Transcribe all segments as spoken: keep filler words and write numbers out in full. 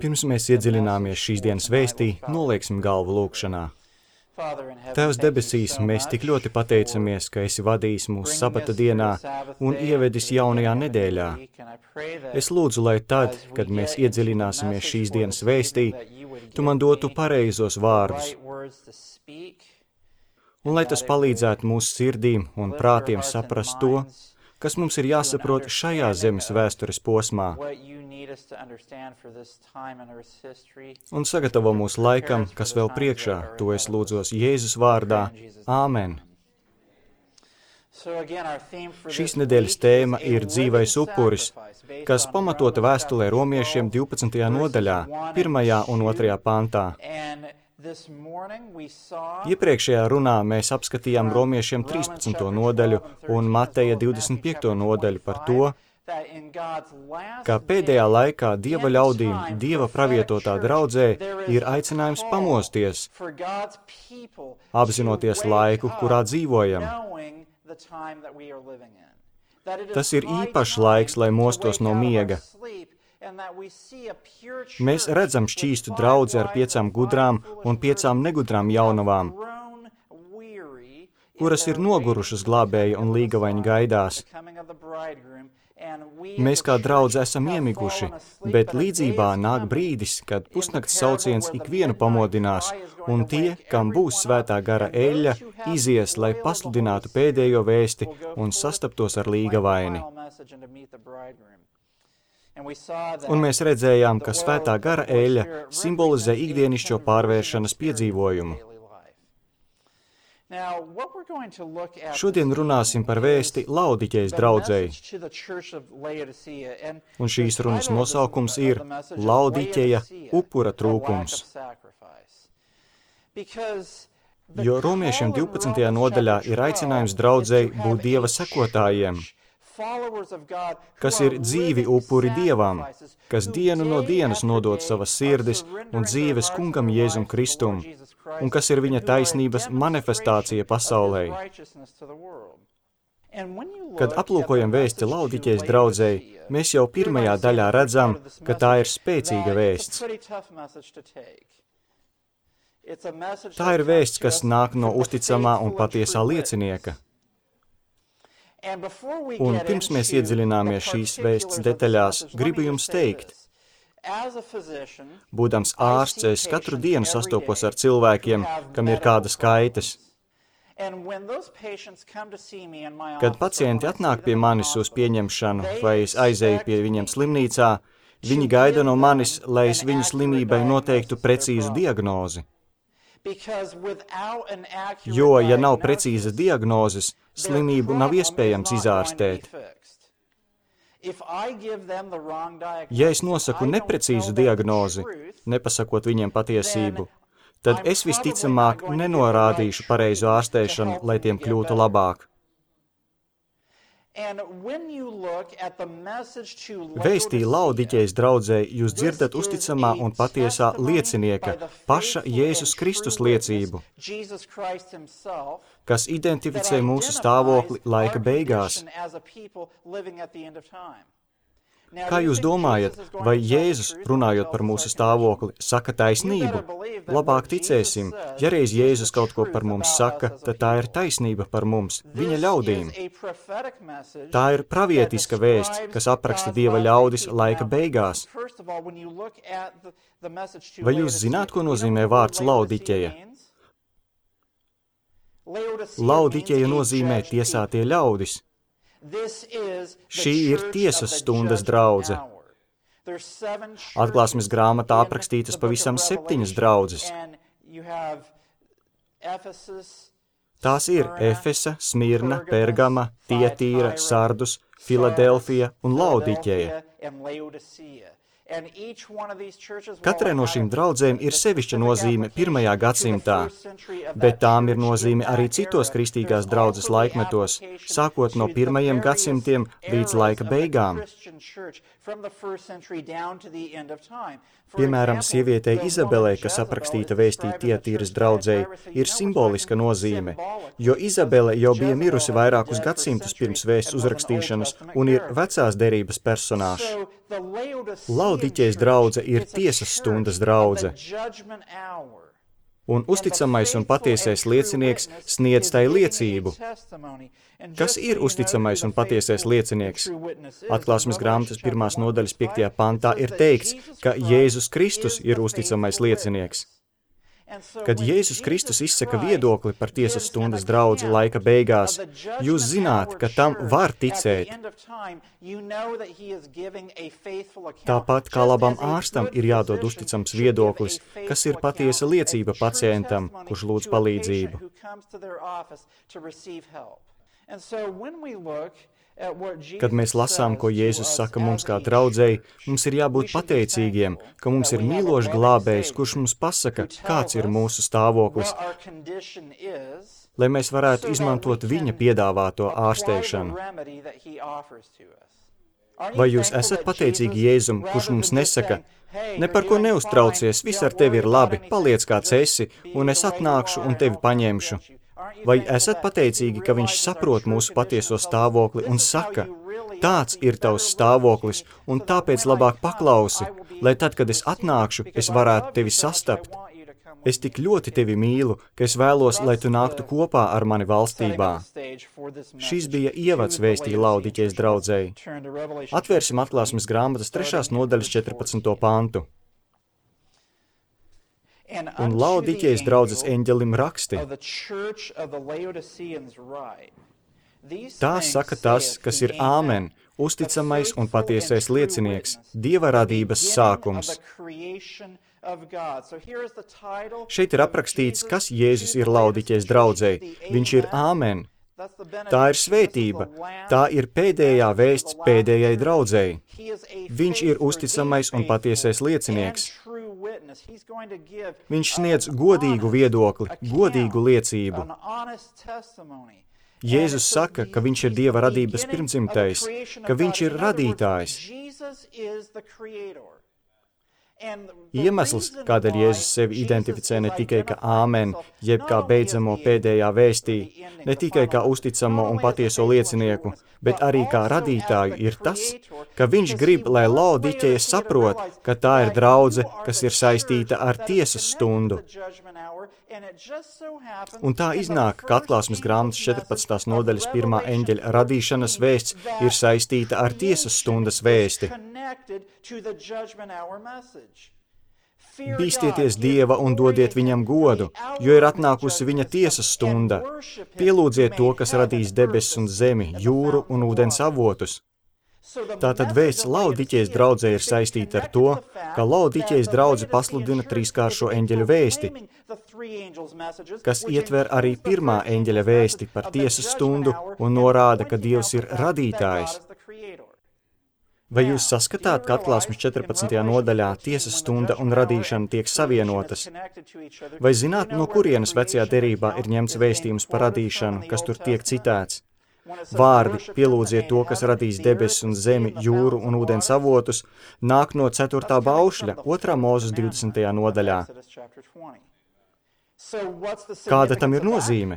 Pirms mēs iedziļināmies šīs dienas vēstī, nolieksim galvu lūkšanā. Tēvs debesīs, mēs tik ļoti pateicamies, ka esi vadījis mūsu sabata dienā un ievedis jaunajā nedēļā. Es lūdzu, lai tad, kad mēs iedziļināsimies šīs dienas vēstī, tu man dotu pareizos vārdus, un lai tas palīdzētu mūsu sirdīm un prātiem saprast to, kas mums ir jāsaprot šajā zemes vēstures posmā, un sagatavo mūsu laikam, kas vēl priekšā, to es lūdzos Jēzus vārdā. Āmen. Šīs nedēļas tēma ir dzīvais upuris, kas pamatota vēstulē romiešiem divpadsmitajā nodaļā, pirmajā un otrajā pantā. Iepriekšējā runā mēs apskatījām romiešiem trīspadsmito nodaļu un Mateja divdesmit piekto nodaļu par to, ka pēdējā laikā Dieva ļaudīm, Dieva pravietotā draudzē, ir aicinājums pamosties, apzinoties laiku, kurā dzīvojam. Tas ir īpašs laiks, lai mostos no miega. Mēs redzam šķīstu draudzi ar piecām gudrām un piecām negudrām jaunavām, kuras ir nogurušas glābēja un līgavaņa gaidās. Mēs kā draudze esam iemiguši, bet līdzībā nāk brīdis, kad pusnakts sauciens ikvienu pamodinās, un tie, kam būs svētā gara eļļa, izies, lai pasludinātu pēdējo vēsti un sastaptos ar līgavaini. Un mēs redzējām, ka svētā gara eļļa simbolizē ikdienišķo pārvēršanas piedzīvojumu. Šodien runāsim par vēsti Laodiķejas draudzei, un šīs runas nosaukums ir Laodiķeja upura trūkums. Jo romiešiem divpadsmitajā nodaļā ir aicinājums draudzei būt Dieva sekotājiem, kas ir dzīvi upuri Dievam, kas dienu no dienas nodod savas sirdis un dzīves kungam Jēzum Kristum, un kas ir viņa taisnības manifestācija pasaulē. Kad aplūkojam vēsti Laodiķejas draudzei, mēs jau pirmajā daļā redzam, ka tā ir spēcīga vēsts. Tā ir vēsts, kas nāk no uzticamā un patiesā liecinieka. Un pirms mēs iedziļināmies šīs vēsts detaļās, gribu jums teikt, būdams ārsts, es katru dienu sastopos ar cilvēkiem, kam ir kādas kaitas. Kad pacienti atnāk pie manis uz pieņemšanu vai es aizēju pie viņiem slimnīcā, viņi gaida no manis, lai es viņu slimībai noteiktu precīzu diagnozi. Jo, ja nav precīzas diagnozes, slimību nav iespējams izārstēt. Ja es nosaku neprecīzu diagnozi, nepasakot viņiem patiesību, tad es visticamāk nenorādīšu pareizu ārstēšanu, lai tiem kļūtu labāk. Vēstī Laodiķejas draudzei jūs dzirdat uzticamā un patiesā liecinieka, paša Jēzus Kristus liecību, kas identificē mūsu stāvokli laika beigās. Kā jūs domājat, vai Jēzus, runājot par mūsu stāvokli, saka taisnību? Labāk ticēsim, ja reiz Jēzus kaut ko par mums saka, tad tā ir taisnība par mums, viņa ļaudīm. Tā ir pravietiska vēsts, kas apraksta Dieva ļaudis laika beigās. Vai jūs zināt, ko nozīmē vārds Laodiķeja? Laodiķeja nozīmē tiesātie ļaudis. Šī ir tiesas stundas draudze. Atklāsmes grāmatā aprakstītas pavisam septiņas draudzes. Tās ir Efesa, Smirna, Pergama, Tietīra, Sardus, Filadelfija un Laodiķeja. Katrai no šīm draudzēm ir sevišķa nozīme pirmajā gadsimtā, bet tām ir nozīme arī citos kristīgās draudzes laikmetos, sākot no pirmajiem gadsimtiem līdz laika beigām. Piemēram, sievietei Izabelei, kas aprakstīta vēstī Tietīras draudzei, ir simboliska nozīme, jo Izabele jau bija mirusi vairākus gadsimtus pirms vēsts uzrakstīšanas Kristus un ir vecās derības personāžs. Laodiķejas draudze ir tiesas stundas draudze. Un uzticamais un patiesais liecinieks sniedz tai liecību. Kas ir uzticamais un patiesais liecinieks? Atklāsmes grāmatas pirmās nodaļas piektajā pantā ir teikts, ka Jēzus Kristus ir uzticamais liecinieks. Kad Jēzus Kristus izsaka viedokli par tiesas stundas draudzi laika beigās, jūs zināt, ka tam var ticēt. Tāpat kā labam ārstam ir jādod uzticams viedoklis, kas ir patiesa liecība pacientam, kurš lūdz palīdzību. Kad mēs lasām, ko Jēzus saka mums kā draudzei, mums ir jābūt pateicīgiem, ka mums ir mīlošs glābējs, kurš mums pasaka, kāds ir mūsu stāvoklis, lai mēs varētu izmantot viņa piedāvāto ārsteišanu. Vai jūs esat pateicīgi Jēzum, kurš mums nesaka, ne par ko neuztraucies, viss ar tevi ir labi, paliec kāds esi, un es atnākšu un tevi paņemšu? Vai esat pateicīgi, ka viņš saprot mūsu patieso stāvokli un saka, tāds ir tavs stāvoklis, un tāpēc labāk paklausi, lai tad, kad es atnākšu, es varētu tevi sastapt. Es tik ļoti tevi mīlu, ka es vēlos, lai tu nāktu kopā ar mani valstībā. Šis bija ievads vēstī Laodiķejas draudzei. Atvērsim atklāsmes grāmatas trešās nodaļas četrpadsmito pantu. Un Laodiķejas draudzes eņģelim raksti. Tā saka tas, kas ir āmen, uzticamais un patiesais liecinieks, Dieva radības sākums. Šeit ir aprakstīts, kas Jēzus ir Laodiķejas draudzei. Viņš ir āmen. Tā ir svētība. Tā ir pēdējā vēsts pēdējai draudzei. Viņš ir uzticamais un patiesais liecinieks. Viņš sniedz godīgu viedokli, godīgu liecību. Jēzus saka, ka viņš ir Dieva radības pirmdzimtais, ka viņš ir radītājs. Iemesls, kādēļ Jēzus sevi identificē ne tikai kā āmen, jeb kā beidzamo pēdējā vēstī, ne tikai kā uzticamo un patieso liecinieku, bet arī kā radītāju, ir tas, ka viņš grib, lai Laodiķeja saprot, ka tā ir draudze, kas ir saistīta ar tiesas stundu. Un tā iznāk, ka atklāsmes grāmatas četrpadsmitās nodaļas pirmā eņģeļa radīšanas vēsts ir saistīta ar tiesas stundas vēsti. Bīstieties Dieva un dodiet viņam godu, jo ir atnākusi viņa tiesas stunda. Pielūdziet to, kas radīs debesis un zemi, jūru un ūdens avotus. Tātad vēsts Laodiķejas draudzē ir saistīta ar to, ka Laodiķejas draudze pasludina trīskāršo eņģeļu vēsti, kas ietver arī pirmā eņģeļa vēsti par tiesas stundu un norāda, ka Dievs ir radītājs. Vai jūs saskatāt, ka atklāsmes četrpadsmitajā nodaļā tiesas stunda un radīšana tiek savienotas? Vai zināt, no kurienes vecajā derībā ir ņemts vēstījums par radīšanu, kas tur tiek citēts? Vārdi, pielūdziet to, kas radīs debesis un zemi, jūru un ūdens avotus, nāk no ceturtā baušļa, otrā Mūzes divdesmitajā nodaļā. Kāda tam ir nozīme?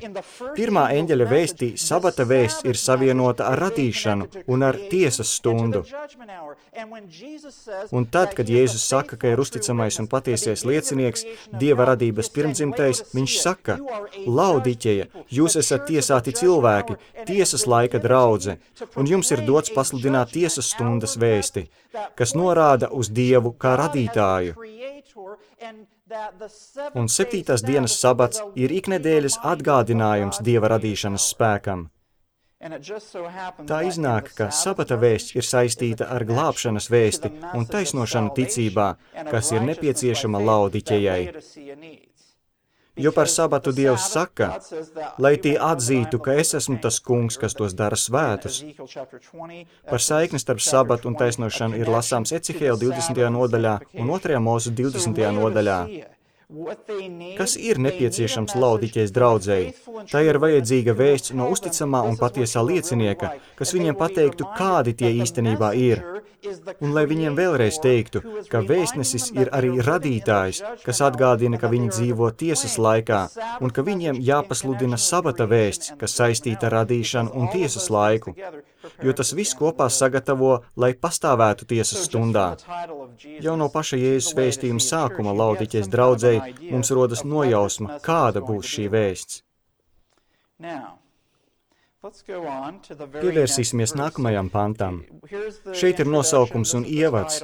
Pirmā eņģeļa vēstī sabata vēsts ir savienota ar radīšanu un ar tiesas stundu. Un tad, kad Jēzus saka, ka ir uzticamais un patiesies liecinieks, Dieva radības pirmdzimtais, viņš saka, Laodiķeja, jūs esat tiesāti cilvēki, tiesas laika draudze, un jums ir dots pasludināt tiesas stundas vēsti, kas norāda uz Dievu kā radītāju. Un septītās dienas sabats ir iknedēļas atgādinājums Dieva radīšanas spēkam. Tā iznāk, ka sabata vēsts ir saistīta ar glābšanas vēsti un taisnošanu ticībā, kas ir nepieciešama Laodiķejai. Jo par sabatu Dievs saka, lai tie atzītu, ka es esmu tas kungs, kas tos dara svētus. Par saikni starp sabatu un taisnošanu ir lasāms Ecihēla divdesmitajā nodaļā un otrajā Mūzes divdesmitajā nodaļā. Kas ir nepieciešams Laodiķejas draudzei? Tā ir vajadzīga vēsts no uzticamā un patiesā liecinieka, kas viņiem pateiktu, kādi tie īstenībā ir. Un lai viņiem vēlreiz teiktu, ka vēstnesis ir arī radītājs, kas atgādina, ka viņi dzīvo tiesas laikā, un ka viņiem jāpasludina sabata vēsts, kas saistīta ar radīšanu un tiesas laiku, jo tas viss kopā sagatavo, lai pastāvētu tiesas stundā. Jau no paša Jēzus vēstījuma sākuma Laodiķejas draudzei mums rodas nojausma, kāda būs šī vēsts. Pievērsīsimies nākamajam pantam. Šeit ir nosaukums un ievads.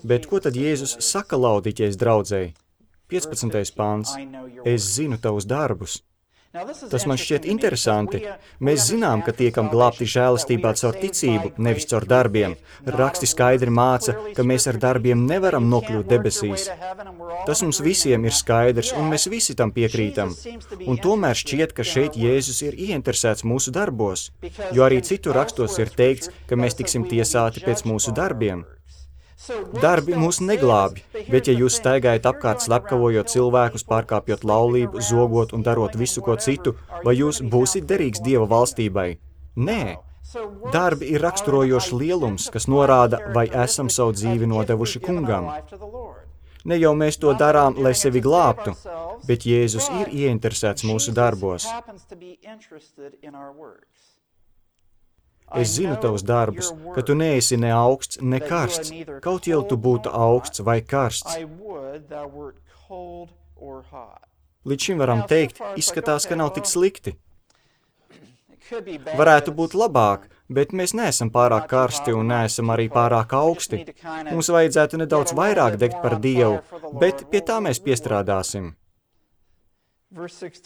Bet ko tad Jēzus saka Laodiķejas draudzei? piecpadsmitais pants. Es zinu tavus darbus. Tas man šķiet interesanti. Mēs zinām, ka tiekam glābti žēlastībā caur ticību, nevis caur darbiem. Raksti skaidri māca, ka mēs ar darbiem nevaram nokļūt debesīs. Tas mums visiem ir skaidrs, un mēs visi tam piekrītam. Un tomēr šķiet, ka šeit Jēzus ir ieinteresēts mūsu darbos, jo arī citu rakstos ir teikts, ka mēs tiksim tiesāti pēc mūsu darbiem. Darbi mūs neglābi, bet ja jūs staigājat apkārt slepkavojot cilvēkus, pārkāpjot laulību, zogot un darot visu ko citu, vai jūs būsit derīgs Dieva valstībai? Nē. Darbi ir raksturojošs lielums, kas norāda, vai esam savu dzīvi nodevuši kungam. Ne jau mēs to darām, lai sevi glābtu, bet Jēzus ir ieinteresēts mūsu darbos. Es zinu tavus darbus, ka tu neesi ne augsts, ne karsts, kaut jau tu būtu augsts vai karsts. Līdz šim varam teikt, izskatās, ka nav tik slikti. Varētu būt labāk, bet mēs neesam pārāk karsti un neesam arī pārāk augsti. Mums vajadzētu nedaudz vairāk degt par Dievu, bet pie tā mēs piestrādāsim.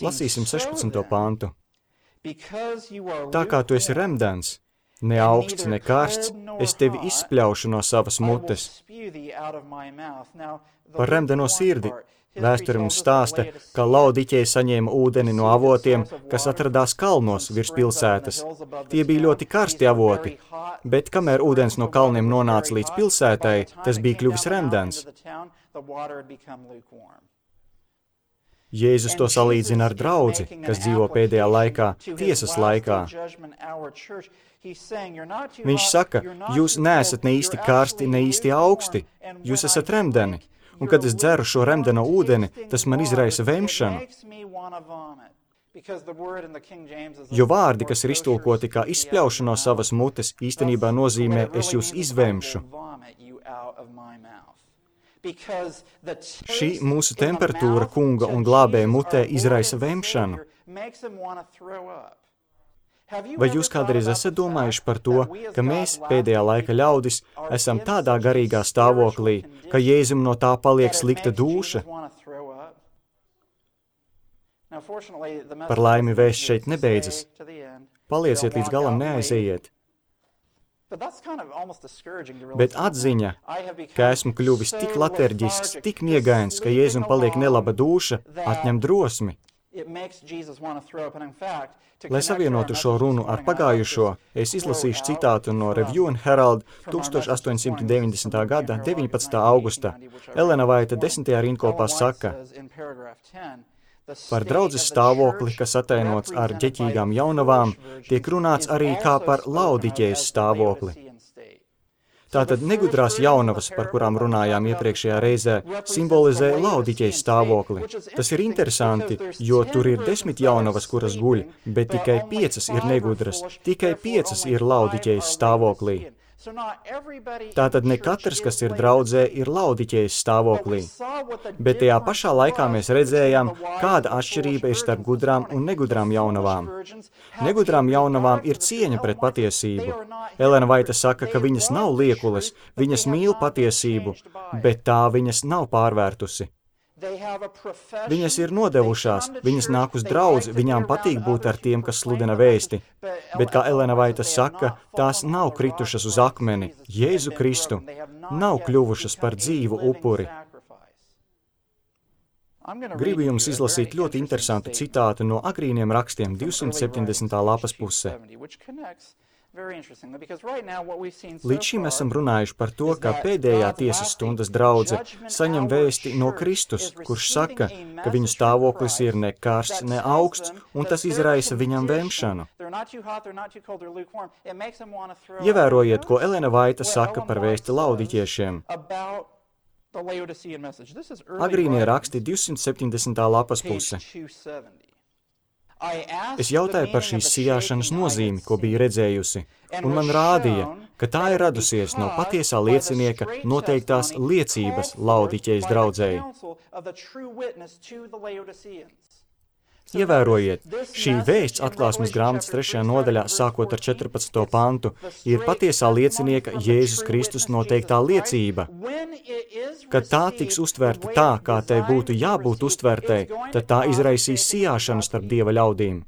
Lasīsim sešpadsmito pantu. Tā kā tu esi remdens, ne augsts, ne karsts, es tevi izspļaušu no savas mutes. Par remdeno sirdi vēsture mums stāsta, ka Laodiķeja saņēma ūdeni no avotiem, kas atradās kalnos virs pilsētas. Tie bija ļoti karsti avoti, bet kamēr ūdens no kalniem nonāca līdz pilsētai, tas bija kļuvis remdens. Jēzus to salīdzina ar draudzi, kas dzīvo pēdējā laikā, tiesas laikā. Viņš saka, jūs neesat ne īsti karsti, ne īsti augsti, jūs esat remdeni, un kad es dzeru šo remdeno ūdeni, tas man izraisa vemšanu. Jo vārdi, kas ir iztulkoti kā izspļaušu no savas mutes, īstenībā nozīmē, es jūs izvemšu. Šī mūsu temperatūra kunga un glābēja mutē izraisa vemšanu. Vai jūs kādreiz esat domājuši par to, ka mēs, pēdējā laika ļaudis, esam tādā garīgā stāvoklī, ka Jēzum no tā paliek slikta dūša? Par laimi vēsts šeit nebeidzas. Palieciet līdz galam, neaizejiet. Bet atziņa, ka esmu kļuvis tik laterģisks, tik niegains, ka Jēzum paliek nelaba dūša, atņem drosmi. Lai savienotu šo runu ar pagājušo, es izlasīšu citātu no Review and Herald tuksstoš astoņsimt deviņdesmitā gada deviņpadsmitā augusta. Elena Vaita desmitajā rindkopā saka: par draudzes stāvokli, kas atainots ar ģeķīgām jaunavām, tiek runāts arī kā par Laodiķejas stāvokli. Tātad negudrās jaunavas, par kurām runājām iepriekšējā reizē, simbolizē Laodiķejas stāvokli. Tas ir interesanti, jo tur ir desmit jaunavas, kuras guļ, bet tikai piecas ir negudras, tikai piecas ir Laodiķejas stāvoklī. Tātad ne katrs, kas ir draudzē, ir Laodiķejas stāvoklī. Bet tajā pašā laikā mēs redzējām, kāda atšķirība ir starp gudrām un negudrām jaunavām. Negudrām jaunavām ir cieņa pret patiesību. Elena Vaita saka, ka viņas nav liekules, viņas mīl patiesību, bet tā viņas nav pārvērtusi. Viņas ir nodevušās, viņas nāk uz draudzi, viņām patīk būt ar tiem, kas sludina vēsti. Bet, kā Elena Vaita saka, tās nav kritušas uz akmeni, Jēzu Kristu, nav kļuvušas par dzīvu upuri. Gribu jums izlasīt ļoti interesantu citātu no agrīniem rakstiem divsimt septiņdesmitā lapas pusē. Līdz šim esam runājuši par to, ka pēdējā tiesas stundas draudze saņem vēsti no Kristus, kurš saka, ka viņu stāvoklis ir ne karsts, ne augsts, un tas izraisa viņam vemšanu. Ievērojiet, ko Elena Vaita saka par vēsti laudiķiešiem. Agrīnie raksti divsimt septiņdesmitā lapas puse. Es jautāju par šīs sijāšanas nozīmi, ko biju redzējusi, un man rādīja, ka tā ir radusies no patiesā liecinieka noteiktās liecības Laodiķejas draudzēji. Ievērojiet, šī vēsts atklāsmes grāmatas trešajā nodaļā, sākot ar četrpadsmito pantu, ir patiesā liecinieka Jēzus Kristus noteiktā liecība. Kad tā tiks uztvērta tā, kā tai būtu jābūt uztvērtai, tad tā izraisīs sijāšanu starp Dieva ļaudīm.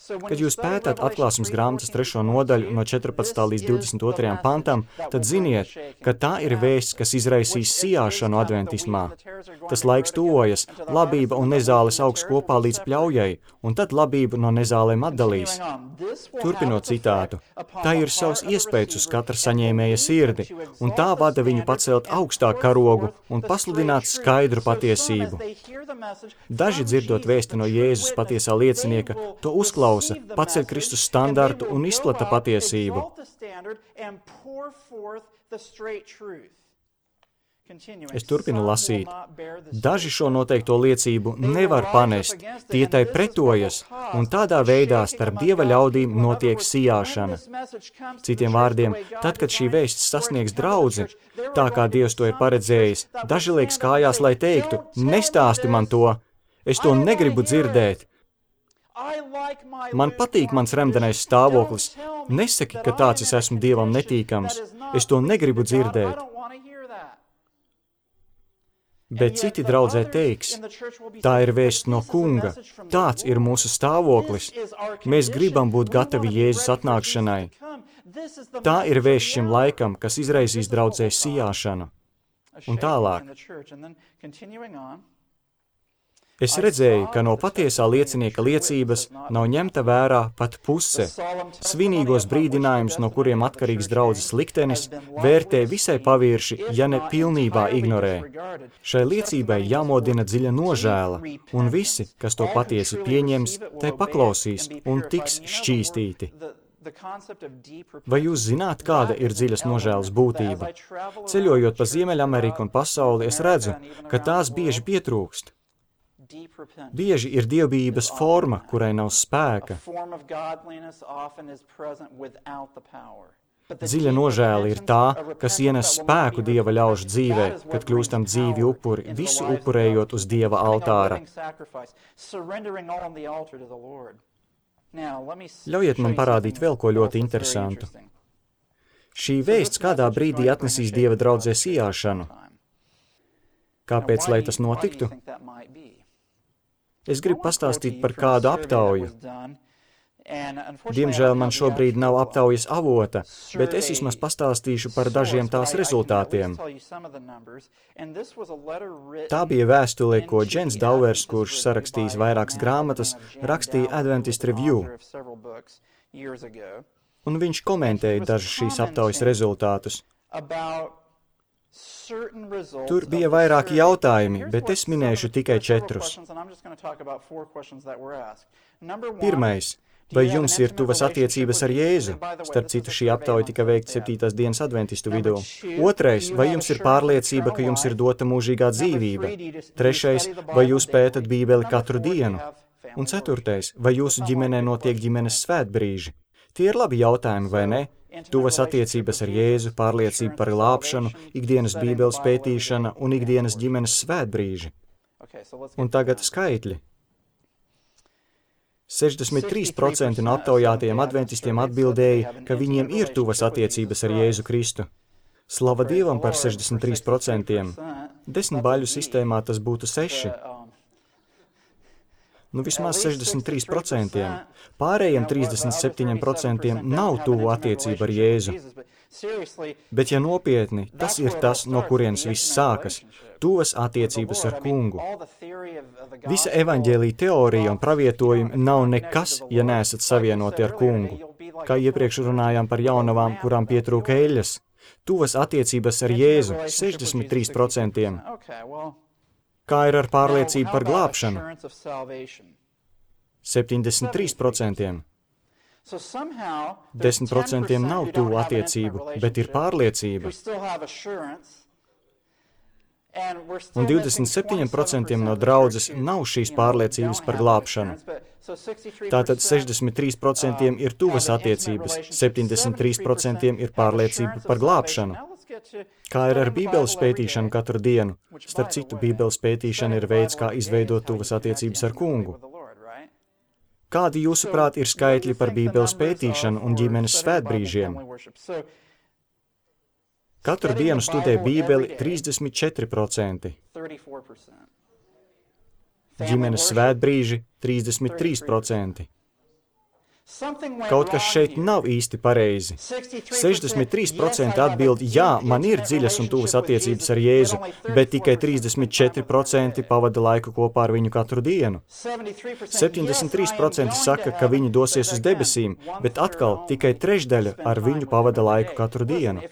Kad jūs pētāt atklāsmes grāmatas trešo nodaļu no četrpadsmitā līdz divdesmit otrajam pantam, tad ziniet, ka tā ir vēsts, kas izraisīs sijāšanu adventismā. Tas laiks tuvojas, labība un nezāles augs kopā līdz pļaujai, un tad labību no nezālēm atdalīs. Turpinot citātu, tā ir savs iespējas uz katra saņēmēja sirdi, un tā vada viņu pacelt augstāk karogu un pasludināt skaidru patiesību. Daži dzirdot vēsti no Jēzus patiesā liecinieka, to uzklausa, paceļ Kristus standartu un izplata patiesību. Es turpinu lasīt. Daži šo noteikto liecību nevar panest, tie tai pretojas, un tādā veidā starp Dieva ļaudīm notiek sijāšana. Citiem vārdiem, tad, kad šī vēsts sasniegs draudzi, tā kā Dievs to ir paredzējis, daži liek kājās, lai teiktu, nestāsti man to, es to negribu dzirdēt. Man patīk mans remdenais stāvoklis. Nesaki, ka tāds es esmu Dievam netīkams. Es to negribu dzirdēt. Bet citi draudzē teiks, tā ir vēsts no Kunga. Tāds ir mūsu stāvoklis. Mēs gribam būt gatavi Jēzus atnākšanai. Tā ir vēsts šim laikam, kas izraisīs draudzē sijāšanu. Un tālāk. Es redzēju, ka no patiesā liecinieka liecības nav ņemta vērā pat puse. Svinīgos brīdinājumus, no kuriem atkarīgs draudzes liktenis, vērtē visai pavirši, ja ne pilnībā ignorē. Šai liecībai jāmodina dziļa nožēla, un visi, kas to patiesi pieņems, tai paklausīs un tiks šķīstīti. Vai jūs zināt, kāda ir dziļas nožēlas būtība? Ceļojot pa Ziemeļameriku un pasauli, es redzu, ka tās bieži pietrūkst. Bieži ir dievbijības forma, kurai nav spēka. Dziļa nožēla ir tā, kas ienes spēku Dieva ļaužu dzīvē, kad kļūstam dzīvi upuri, visu upurējot uz Dieva altāra. Ļaujiet man parādīt vēl ko ļoti interesantu. Šī vēsts kādā brīdī atnesīs Dieva draudzē sijāšanu. Kāpēc, lai tas notiktu? Es gribu pastāstīt par kādu aptauju. Diemžēl man šobrīd nav aptaujas avota, bet es vismaz pastāstīšu par dažiem tās rezultātiem. Tā bija vēstule, ko Džens Dauers, kurš sarakstījis vairākas grāmatas, rakstīja Adventist Review. Un viņš komentēja dažus šīs aptaujas rezultātus. Tur bija vairāki jautājumi, bet es minēšu tikai četrus. Pirmais. Vai jums ir tuvas attiecības ar Jēzu? Starp citu, šī aptauja tika veikta septītās dienas adventistu vidū. Otrais. Vai jums ir pārliecība, ka jums ir dota mūžīgā dzīvība? Trešais. Vai jūs pētat Bībeli katru dienu? Un ceturtais. Vai jūsu ģimenē notiek ģimenes svētbrīži? Tie ir labi jautājumi, vai ne? Tuvas attiecības ar Jēzu, pārliecība par glābšanu, ikdienas Bībeles pētīšana un ikdienas ģimenes svētbrīži. Un tagad skaitļi. sešdesmit trīs procenti no aptaujātajiem adventistiem atbildēja, ka viņiem ir tuvas attiecības ar Jēzu Kristu. Slava Dievam par sešdesmit trīs procentiem. Desmit baļu sistēmā tas būtu seši. Nu vismaz sešdesmit trīs procentiem. Pārējiem trīsdesmit septiņiem procentiem nav tuvu attiecību ar Jēzu. Bet, ja nopietni, tas ir tas, no kurienes viss sākas – tuvas attiecības ar Kungu. Visa evaņģēlija teorija un pravietojumi nav nekas, ja neesat savienoti ar Kungu. Kā iepriekš runājām par jaunavām, kurām pietrūka eļļas, tuvas attiecības ar Jēzu sešdesmit trīs procenti. Kā ir ar pārliecību par glābšanu? septiņdesmit trīs procenti. desmit procenti nav tuvu attiecību, bet ir pārliecība. Un divdesmit septiņi procenti no draudzes nav šīs pārliecības par glābšanu. Tātad sešdesmit trīs procenti ir tuvas attiecības, septiņdesmit trīs procenti ir pārliecība par glābšanu. Kā ir ar Bībeles pētīšanu katru dienu? Starp citu, Bībeles pētīšana ir veids, kā izveidot tuvas attiecības ar Kungu. Kādi jūsuprāt ir skaitļi par Bībeles pētīšanu un ģimenes svētbrīžiem? Katru dienu studē Bībeli trīsdesmit četri procenti. Ģimenes svētbrīži trīsdesmit trīs procenti. Kaut kas šeit nav īsti pareizi. sešdesmit trīs procenti atbild, jā, man ir dziļas un tuvas attiecības ar Jēzu, bet tikai trīsdesmit četri procenti pavada laiku kopā ar viņu katru dienu. septiņdesmit trīs procenti saka, ka viņi dosies uz debesīm, bet atkal tikai trešdaļa ar viņu pavada laiku katru dienu.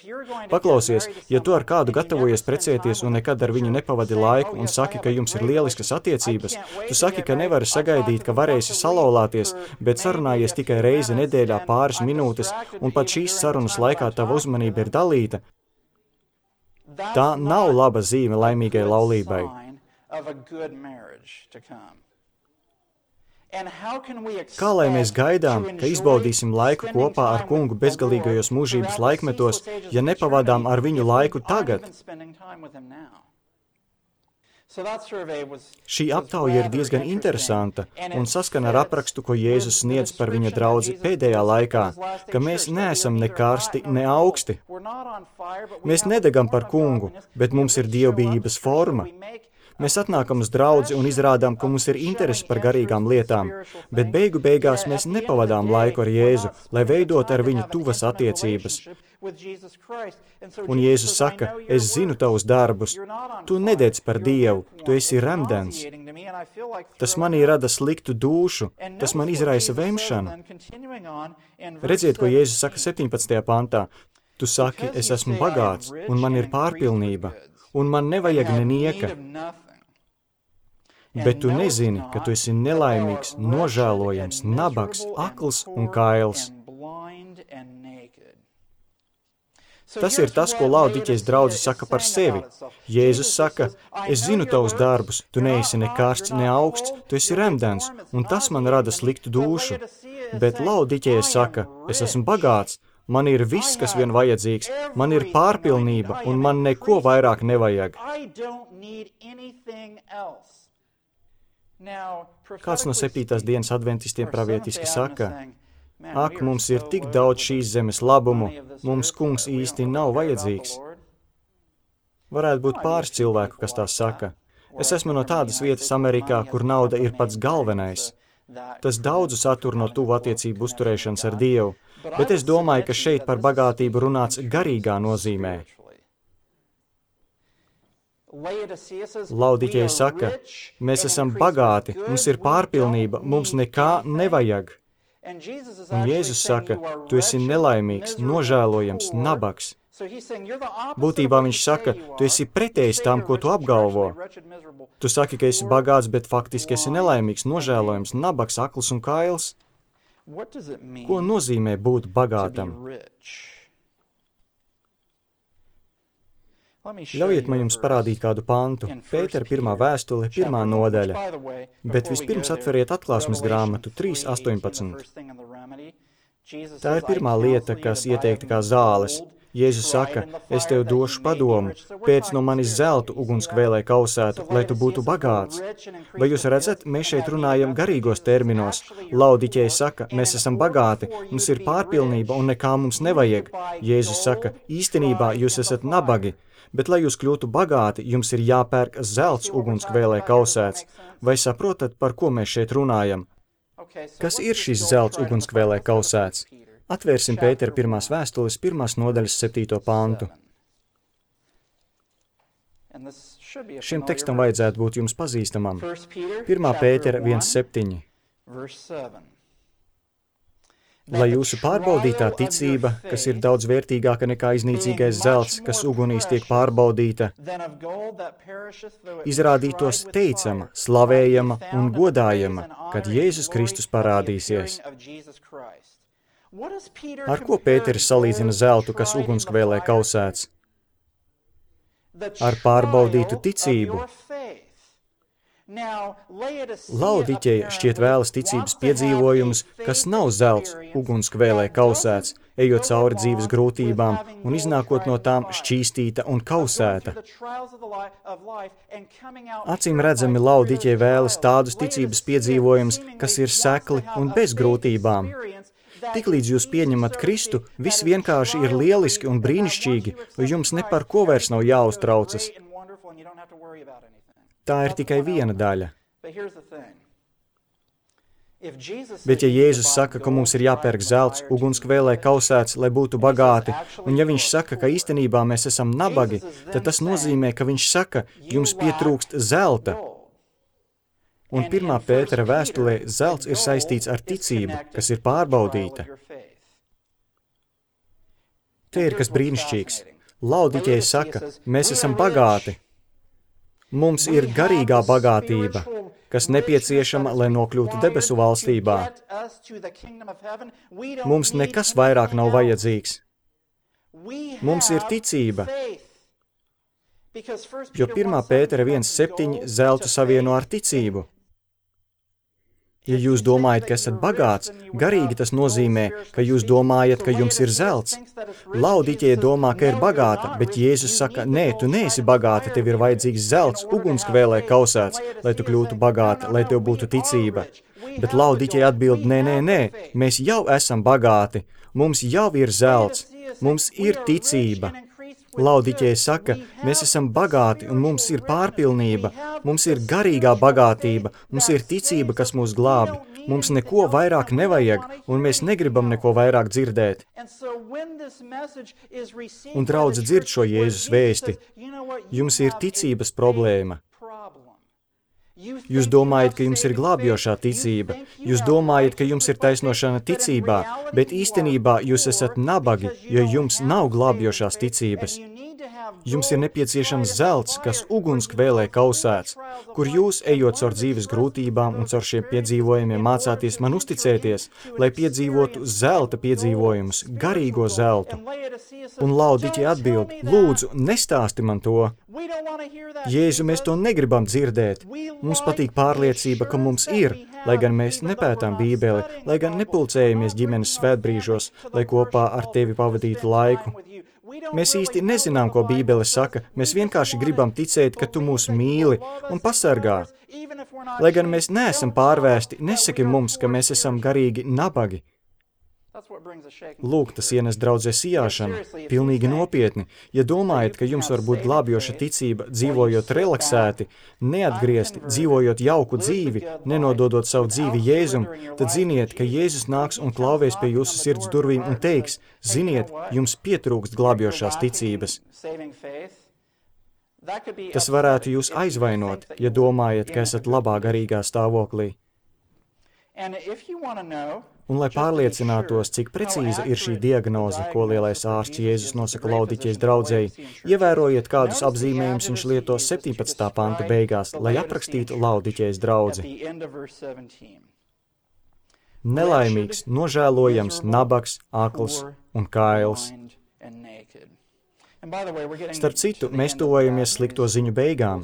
Paklausies, ja tu ar kādu gatavojies precēties un nekad ar viņu nepavadi laiku un saki, ka jums ir lieliskas attiecības, tu saki, ka nevari sagaidīt, ka varēsi salauzties, bet sarunājies tikai reizi nedēļā pāris minūtes, un pat šīs sarunas laikā tava uzmanība ir dalīta, tā nav laba zīme laimīgai laulībai. Kā lai mēs gaidām, ka izbaudīsim laiku kopā ar Kungu bezgalīgajos mūžības laikmetos, ja nepavadām ar viņu laiku tagad? Šī aptauja ir diezgan interesanta un saskana ar aprakstu, ko Jēzus sniedz par viņa draudzi pēdējā laikā, ka mēs neesam ne karsti, ne augsti. Mēs nedegam par Kungu, bet mums ir dievbijības forma. Mēs atnākam uz draudzi un izrādām, ka mums ir interesi par garīgām lietām, bet beigu beigās mēs nepavadām laiku ar Jēzu, lai veidot ar viņu tuvas attiecības. Un Jēzus saka, es zinu tavus darbus, tu nededz par Dievu, tu esi remdens. Tas manī rada sliktu dūšu, tas man izraisa vemšanu. Redziet, ko Jēzus saka septiņpadsmitajā pantā. Tu saki, es esmu bagāts, un man ir pārpilnība, un man nevajag nenieka. Bet tu nezini, ka tu esi nelaimīgs, nožēlojams, nabaks, akls un kails. Tas ir tas, ko Laodiķejas draudze saka par sevi. Jēzus saka, es zinu tavus darbus, tu neesi ne karsts, ne augsts, tu esi remdens, un tas man rada sliktu dūšu. Bet Laodiķeja saka, es esmu bagāts, man ir viss, kas vien vajadzīgs, man ir pārpilnība, un man neko vairāk nevajag. Kāds no septītās dienas adventistiem pravietiski saka, ak, mums ir tik daudz šīs zemes labumu, mums Kungs īsti nav vajadzīgs. Varētu būt pāris cilvēku, kas tā saka. Es esmu no tādas vietas Amerikā, kur nauda ir pats galvenais. Tas daudzu satur no tuvu attiecību uzturēšanas ar Dievu, bet es domāju, ka šeit par bagātību runāts garīgā nozīmē. Laodiķeja saka, mēs esam bagāti, mums ir pārpilnība, mums nekā nevajag. Un Jēzus saka, tu esi nelaimīgs, nožēlojams, nabaks. Būtībā viņš saka, tu esi pretējs tam, ko tu apgalvo. Tu saki, ka esi bagāts, bet faktiski esi nelaimīgs, nožēlojams, nabaks, akls un kails. Ko nozīmē būt bagātam? Ļaujiet man jums parādīt kādu pantu, Pētera pirmā vēstule, pirmā nodaļa, bet vispirms atveriet atklāsmes grāmatu trīs astoņpadsmit. Tā ir pirmā lieta, kas ieteikta kā zāles. Jēzus saka, es tev došu padomu, pēc no manis zeltu ugunskvēlē kausētu, lai tu būtu bagāts. Vai jūs redzat, mēs šeit runājam garīgos terminos. Laodiķeja saka, mēs esam bagāti, mums ir pārpilnība un nekā mums nevajag. Jēzus saka, īstenībā jūs esat nabagi. Bet, lai jūs kļūtu bagāti, jums ir jāpērk zelts ugunskvēlē kausēts. Vai saprotat, par ko mēs šeit runājam? Kas ir šis zelts ugunskvēlē kausēts? Atvērsim Pētera pirmās vēstules pirmās nodaļas septīto pantu. Šim tekstam vajadzētu būt jums pazīstamam. pirmā Pētera viens septiņi. lai jūsu pārbaudītā ticība, kas ir daudz vērtīgāka nekā iznīcīgais zelts, kas ugunīs tiek pārbaudīta, izrādītos teicama, slavējama un godājama, kad Jēzus Kristus parādīsies. Ar ko Pēteris salīdzina zeltu, kas ugunskvēlē kausēts? Ar pārbaudītu ticību. Laodiķeja šķiet vēlas ticības piedzīvojumus, kas nav zelts, ugunskvēlē kausēts, ejot cauri dzīves grūtībām un iznākot no tām šķīstīta un kausēta. Acīm redzami Laodiķeja vēlas tādus ticības piedzīvojumus, kas ir sekli un bez grūtībām. Tiklīdz jūs pieņemat Kristu, viss vienkārši ir lieliski un brīnišķīgi, jo jums ne par ko vairs nav jāuztraucas. Tā ir tikai viena daļa. Bet ja Jēzus saka, ka mums ir jāpērk zelts, ugunskvēlē kausēts, lai būtu bagāti, un ja viņš saka, ka īstenībā mēs esam nabagi, tad tas nozīmē, ka viņš saka, jums pietrūkst zelta. Un pirmā Pētera vēstulē zelts ir saistīts ar ticību, kas ir pārbaudīta. Te ir kas brīnišķīgs. Laodiķeja saka, mēs esam bagāti. Mums ir garīgā bagātība, kas nepieciešama, lai nokļūtu debesu valstībā. Mums nekas vairāk nav vajadzīgs. Mums ir ticība, jo pirmā Pētera viens septiņi zeltu savieno ar ticību. Ja jūs domājat, ka esat bagāts, garīgi tas nozīmē, ka jūs domājat, ka jums ir zelts. Laodiķeja domā, ka ir bagāta, bet Jēzus saka, nē, tu neesi bagāta, tev ir vajadzīgs zelts, ugunskvēlē kausēts, lai tu kļūtu bagāta, lai tev būtu ticība. Bet Laodiķeja atbild, nē, nē, nē, mēs jau esam bagāti, mums jau ir zelts, mums ir ticība. Laodiķeja saka, mēs esam bagāti un mums ir pārpilnība, mums ir garīgā bagātība, mums ir ticība, kas mūs glābi, mums neko vairāk nevajag un mēs negribam neko vairāk dzirdēt. Un draudze dzird šo Jēzus vēsti, jums ir ticības problēma. Jūs domājat, ka jums ir glābjošā ticība, jūs domājat, ka jums ir taisnošana ticībā, bet īstenībā jūs esat nabagi, jo jums nav glābjošās ticības. Jums ir nepieciešams zelts, kas ugunskvēlē kausēts, kur jūs, ejot caur dzīves grūtībām un caur šiem piedzīvojumiem, mācāties man uzticēties, lai piedzīvotu zelta piedzīvojumus, garīgo zeltu. Un Laodiķeja atbild, lūdzu, nestāsti man to. Jēzu, mēs to negribam dzirdēt. Mums patīk pārliecība, ka mums ir, lai gan mēs nepētām Bībeli, lai gan nepulcējamies ģimenes svētbrīžos, lai kopā ar tevi pavadītu laiku. Mēs īsti nezinām, ko Bībele saka, mēs vienkārši gribam ticēt, ka tu mūs mīli un pasargā. Lai gan mēs neesam pārvērsti, nesaki mums, ka mēs esam garīgi nabagi. Lūk, tas ienes draudzē sijāšanu, pilnīgi nopietni. Ja domājat, ka jums var būt glābjoša ticība, dzīvojot relaksēti, neatgriezti, dzīvojot jauku dzīvi, nenododot savu dzīvi Jēzum, tad ziniet, ka Jēzus nāks un klauvēs pie jūsu sirds durvīm un teiks, ziniet, jums pietrūkst glābjošās ticības. Tas varētu jūs aizvainot, ja domājat, ka esat labā garīgā stāvoklī. Un, lai pārliecinātos, cik precīza ir šī diagnoze, ko lielais ārsts Jēzus nosaka Laodiķejas draudzei, ievērojiet, kādus apzīmējumus viņš lieto septiņpadsmitā panta beigās, lai aprakstītu Laodiķejas draudzi. Nelaimīgs, nožēlojams, nabaks, akls un kails. Starp citu, mēs tuvojamies slikto ziņu beigām.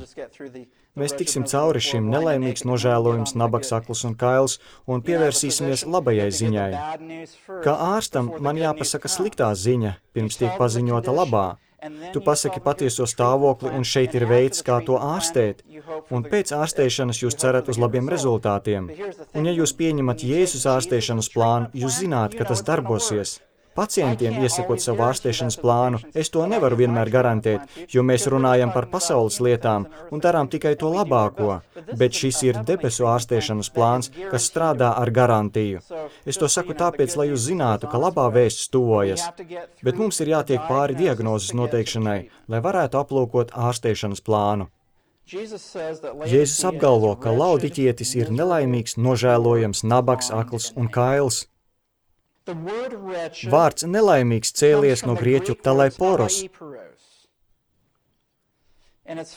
Mēs tiksim cauri šim nelaimīgs, nožēlojums, nabaks, akls un kails un pievērsīsimies labajai ziņai. Kā ārstam man jāpasaka sliktā ziņa, pirms tiek paziņota labā. Tu pasaki patieso stāvokli un šeit ir veids, kā to ārstēt. Un pēc ārstēšanas jūs cerat uz labiem rezultātiem. Un ja jūs pieņemat Jēzus ārstēšanas plānu, jūs zināt, ka tas darbosies. Pacientiem iesakot savu ārstēšanas plānu, es to nevaru vienmēr garantēt, jo mēs runājam par pasaules lietām un darām tikai to labāko, bet šis ir debesu ārstēšanas plāns, kas strādā ar garantiju. Es to saku tāpēc, lai jūs zinātu, ka labā vēsts tuvojas, bet mums ir jātiek pāri diagnozes noteikšanai, lai varētu aplūkot ārstēšanas plānu. Jēzus apgalvo, ka Laodiķietis ir nelaimīgs, nožēlojams, nabaks, akls un kails. Vārds nelaimīgs cēlies no grieķu talaiporos,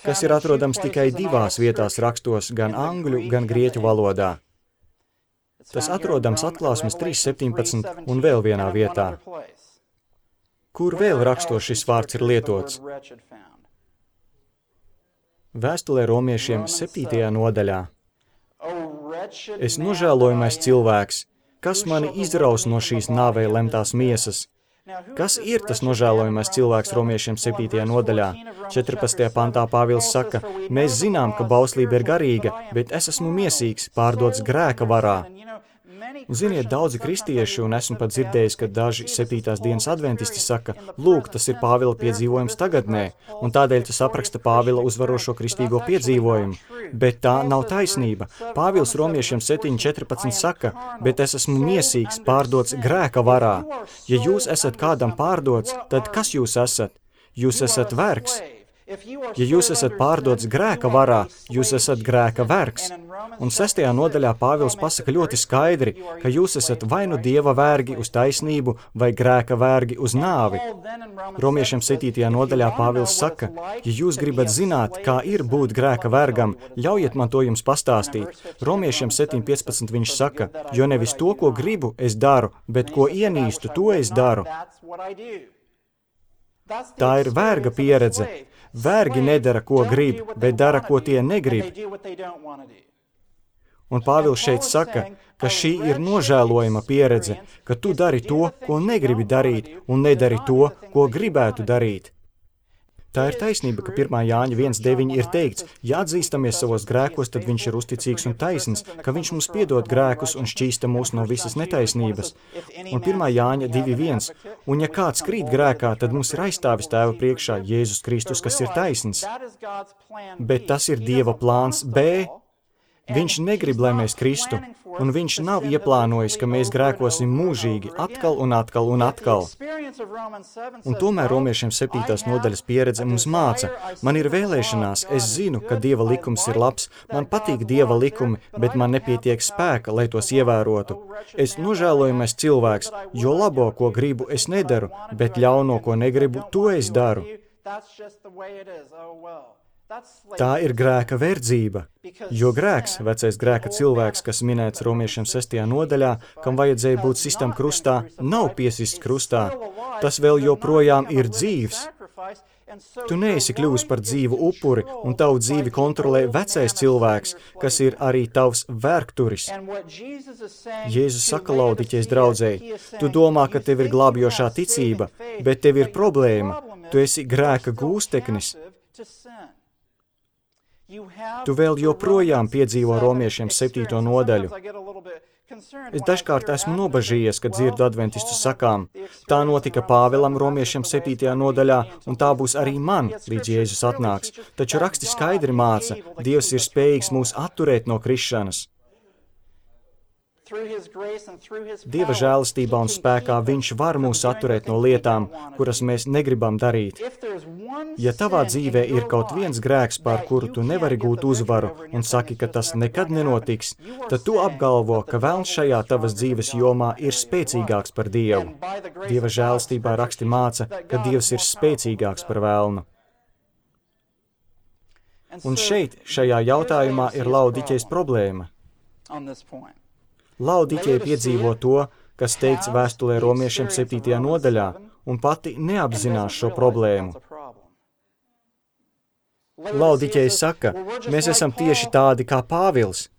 kas ir atrodams tikai divās vietās rakstos, gan angļu, gan grieķu valodā. Tas atrodams Atklāsmes trīs septiņpadsmit un vēl vienā vietā. Kur vēl rakstos šis vārds ir lietots? Vēstulē romiešiem septītajā nodaļā. Es nožēlojamais cilvēks, kas mani izraus no šīs nāvei lemtās miesas. Kas ir tas nožēlojamais cilvēks romiešiem septītajā nodaļā? četrpadsmitajā pantā Pāvils saka, mēs zinām, ka bauslība ir garīga, bet es esmu miesīgs, pārdots grēka varā. Un ziniet, daudzi kristieši, un esmu pat dzirdējis, ka daži septītās dienas adventisti saka, lūk, tas ir Pāvila piedzīvojums tagadnē, un tādēļ tas apraksta Pāvila uzvarošo kristīgo piedzīvojumu. Bet tā nav taisnība. Pāvils romiešiem septiņi četrpadsmit saka, bet es esmu miesīgs, pārdots grēka varā. Ja jūs esat kādam pārdots, tad kas jūs esat? Jūs esat vergs. Ja jūs esat pārdots grēka varā, jūs esat grēka vergs. Un sestajā nodaļā Pāvils pasaka ļoti skaidri, ka jūs esat vai nu Dieva vergi uz taisnību, vai grēka vergi uz nāvi. Romiešiem septītajā nodaļā Pāvils saka, ja jūs gribat zināt, kā ir būt grēka vergam, ļaujiet man to jums pastāstīt. Romiešiem septiņi piecpadsmit viņš saka, jo nevis to, ko gribu, es daru, bet ko ienīstu, to es daru. Tā ir verga pieredze. Vergi nedara, ko grib, bet dara, ko tie negrib. Un Pāvils šeit saka, ka šī ir nožēlojama pieredze, ka tu dari to, ko negribi darīt, un nedari to, ko gribētu darīt. Tā ir taisnība, ka pirmā Jāņa viens deviņi ir teikts, ja atzīstamies savos grēkos, tad viņš ir uzticīgs un taisns, ka viņš mums piedod grēkus un šķīsta mūs no visas netaisnības. Un pirmā Jāņa divi viens, un ja kāds krīt grēkā, tad mums ir aizstāvis Tēva priekšā Jēzus Kristus, kas ir taisns. Bet tas ir Dieva plāns B. Viņš negrib, lai mēs kristu, un viņš nav ieplānojis, ka mēs grēkosim mūžīgi, atkal un atkal un atkal. Un tomēr romiešiem septītās nodaļas pieredze mums māca, man ir vēlēšanās, es zinu, ka Dieva likums ir labs, man patīk Dieva likumi, bet man nepietiek spēka, lai tos ievērotu. Es nožēlojamais cilvēks, jo labo, ko gribu, es nedaru, bet ļauno, ko negribu, to es daru. Tā ir grēka verdzība, jo grēks, vecais grēka cilvēks, kas minēts romiešiem sestajā nodaļā, kam vajadzēja būt sistam krustā, nav piesists krustā. Tas vēl joprojām ir dzīvs. Tu neesi kļuvis par dzīvu upuri, un tavu dzīvi kontrolē vecais cilvēks, kas ir arī tavs vērkturis. Jēzus saka Laodiķejas draudzēji, tu domā, ka tev ir glābjošā ticība, bet tev ir problēma, tu esi grēka gūsteknis. Tu vēl joprojām piedzīvo romiešiem septīto nodaļu. Es dažkārt esmu nobažījies, kad dzirdu adventistu sakām. Tā notika Pāvilam romiešiem septītajā nodaļā, un tā būs arī man, līdz Jēzus atnāks. Taču raksti skaidri māca, Dievs ir spējīgs mūs atturēt no krišanas. Dieva žēlastībā un spēkā viņš var mūs atturēt no lietām, kuras mēs negribam darīt. Ja tavā dzīvē ir kaut viens grēks, pār kuru tu nevari gūt uzvaru un saki, ka tas nekad nenotiks, tad tu apgalvo, ka velns šajā tavas dzīves jomā ir spēcīgāks par Dievu. Dieva žēlastībā raksti māca, ka Dievs ir spēcīgāks par velnu. Un šeit, šajā jautājumā, ir Laodiķejas problēma. Laodiķeja piedzīvo to, kas teikts vēstulē romiešiem septītajā nodaļā, un pati neapzinās šo problēmu. Laodiķeja saka, mēs esam tieši tādi kā Pāvils.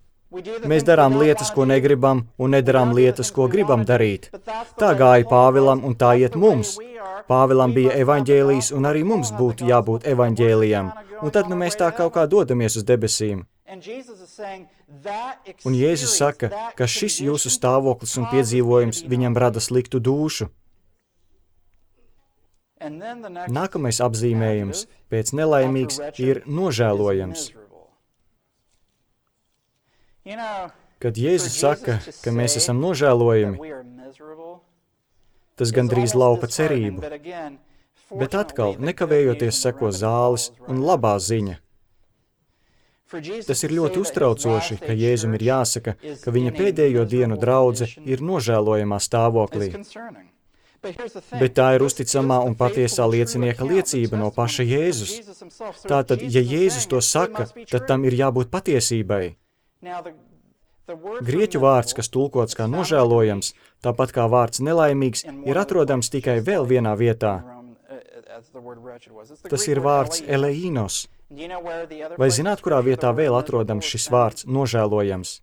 Mēs darām lietas, ko negribam, un nedarām lietas, ko gribam darīt. Tā gāja Pāvilam, un tā iet mums. Pāvilam bija evaņģēlijs, un arī mums būtu jābūt evaņģēlijam. Un tad nu mēs tā kaut kā dodamies uz debesīm. Un Jēzus saka, ka šis jūsu stāvoklis un piedzīvojums viņam rada sliktu dūšu. Nākamais apzīmējums pēc nelaimīgs ir nožēlojams. Kad Jēzus saka, ka mēs esam nožēlojami, tas gandrīz laupa cerību. Bet atkal, nekavējoties seko zāles un labā ziņa. Tas ir ļoti uztraucoši, ka Jēzum ir jāsaka, ka viņa pēdējo dienu draudze ir nožēlojamā stāvoklī. Bet tā ir uzticamā un patiesā liecinieka liecība no paša Jēzus. Tātad, ja Jēzus to saka, tad tam ir jābūt patiesībai. Grieķu vārds, kas tulkots kā nožēlojams, tāpat kā vārds nelaimīgs, ir atrodams tikai vēl vienā vietā. Tas ir vārds eleinos. Vai zināt, kurā vietā vēl atrodams šis vārds nožēlojams?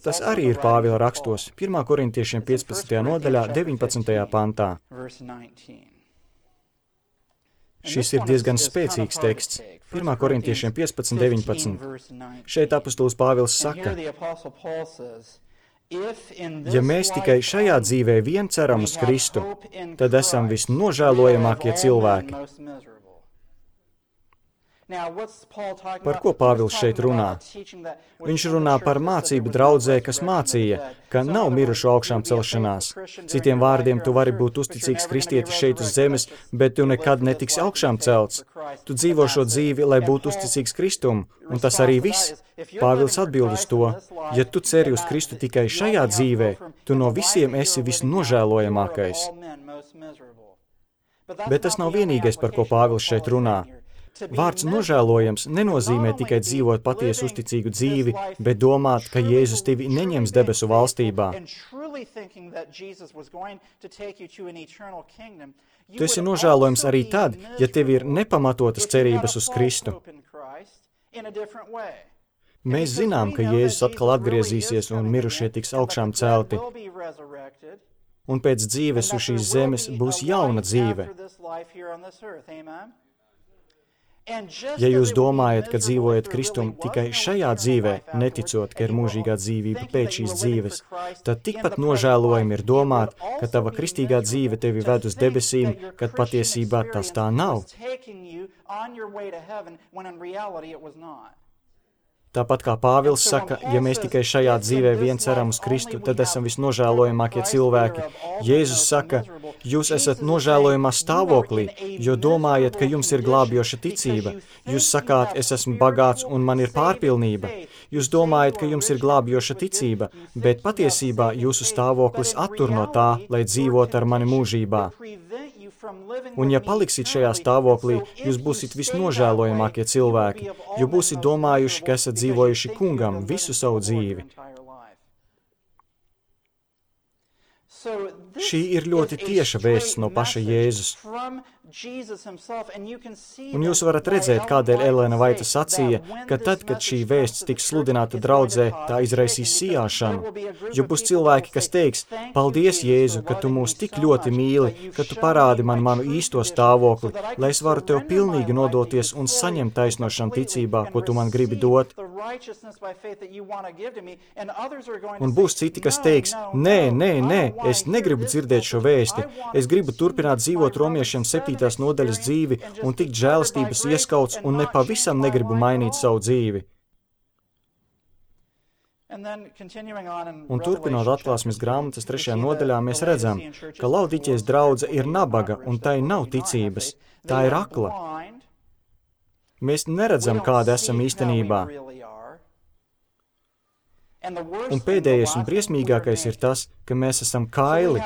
Tas arī ir Pāvila rakstos, pirmā korintiešiem piecpadsmitajā nodaļā, deviņpadsmitajā pantā. Šis ir diezgan spēcīgs teksts. pirmā korintiešiem piecpadsmit, deviņpadsmit. Šeit apostols Pāvils saka, ja mēs tikai šajā dzīvē vien ceram uz Kristu, tad esam visnožēlojamākie cilvēki. Par ko Pāvils šeit runā? Viņš runā par mācību draudzē, kas mācīja, ka nav mirušu augšām celšanās. Citiem vārdiem, tu vari būt uzticīgs kristietis šeit uz zemes, bet tu nekad netiksi augšām celts. Tu dzīvo šo dzīvi, lai būtu uzticīgs Kristum, un tas arī viss. Pāvils atbild uz to, ja tu ceri uz Kristu tikai šajā dzīvē, tu no visiem esi visnožēlojamākais. Bet tas nav vienīgais, par ko Pāvils šeit runā. Vārds nožēlojams nenozīmē tikai dzīvot patiesu uzticīgu dzīvi, bet domāt, ka Jēzus tevi neņems debesu valstībā. Tu esi nožēlojams arī tad, ja tev ir nepamatotas cerības uz Kristu. Mēs zinām, ka Jēzus atkal atgriezīsies un mirušie tiks augšām celti. Un pēc dzīves uz šīs zemes būs jauna dzīve. Ja jūs domājat, ka dzīvojat Kristum tikai šajā dzīvē, neticot, ka ir mūžīgā dzīvība pēc šīs dzīves, tad tikpat nožēlojami ir domāt, ka tava kristīgā dzīve tevi ved uz debesīm, kad patiesībā tas tā nav. Tāpat kā Pāvils saka, ja mēs tikai šajā dzīvē vien ceram uz Kristu, tad esam visnožēlojamākie cilvēki. Jēzus saka, jūs esat nožēlojamā stāvoklī, jo domājat, ka jums ir glābjoša ticība. Jūs sakāt, es esmu bagāts un man ir pārpilnība. Jūs domājat, ka jums ir glābjoša ticība, bet patiesībā jūsu stāvoklis attur no tā, lai dzīvot ar mani mūžībā. Un ja paliksit šajā stāvoklī, jūs būsit visnožēlojamākie cilvēki, jo būsit domājuši, ka esat dzīvojuši kungam visu savu dzīvi. Šī ir ļoti tieša vēsts no paša Jēzus. Un jūs varat redzēt, kādēļ Elēna Vaita sacīja, ka tad, kad šī vēsts tiks sludināta draudzē, tā izraisīs sijāšanu. Jo būs cilvēki, kas teiks, paldies, Jēzu, ka tu mūs tik ļoti mīli, ka tu parādi man manu īsto stāvokli, lai es varu tev pilnīgi nodoties un saņemt taisnošanu ticībā, ko tu man gribi dot. Un būs citi, kas teiks, nē, nē, nē, es negribu dzirdēt šo vēsti, es gribu turpināt dzīvot romiešiem septītās nodaļas dzīvi un tikt žēlastības ieskauts un nepavisam negribu mainīt savu dzīvi. Un turpinot atklāsmes grāmatas trešajā nodaļā, mēs redzam, ka Laodiķijas draudze ir nabaga un tai nav ticības. Tā ir akla. Mēs neredzam, kāda esam īstenībā. Un pēdējais un briesmīgākais ir tas, ka mēs esam kaili.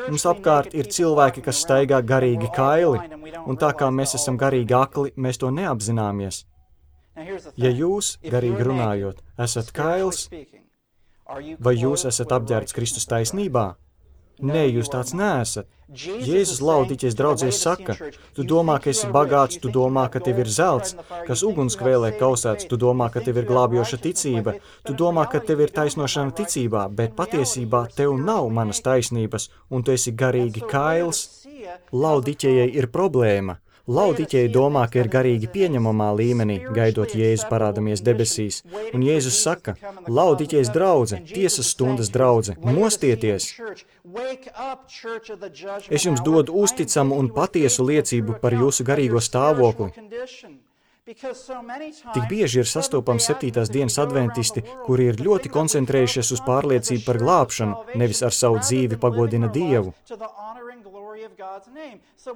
Mums apkārt ir cilvēki, kas staigā garīgi kaili, un tā kā mēs esam garīgi akli, mēs to neapzināmies. Ja jūs, garīgi runājot, esat kails, vai jūs esat apģērbts Kristus taisnībā? Nē, jūs tāds neesat. Jēzus Laodiķijas draudzē saka, tu domā, ka esi bagāts, tu domā, ka tev ir zelts, kas ugunskvēlē kausēts, tu domā, ka tev ir glābjoša ticība, tu domā, ka tev ir taisnošana ticībā, bet patiesībā tev nav manas taisnības, un tu esi garīgi kails. Laodiķijai ir problēma. Laodiķija domā, ka ir garīgi pieņemamā līmenī, gaidot Jēzu parādamies debesīs. Un Jēzus saka, Laodiķijas draudze, tiesas stundas draudze, mostieties! Es jums dodu uzticamu un patiesu liecību par jūsu garīgo stāvokli. Tik bieži ir sastopams septītās dienas adventisti, kuri ir ļoti koncentrējušies uz pārliecību par glābšanu, nevis ar savu dzīvi pagodina Dievu.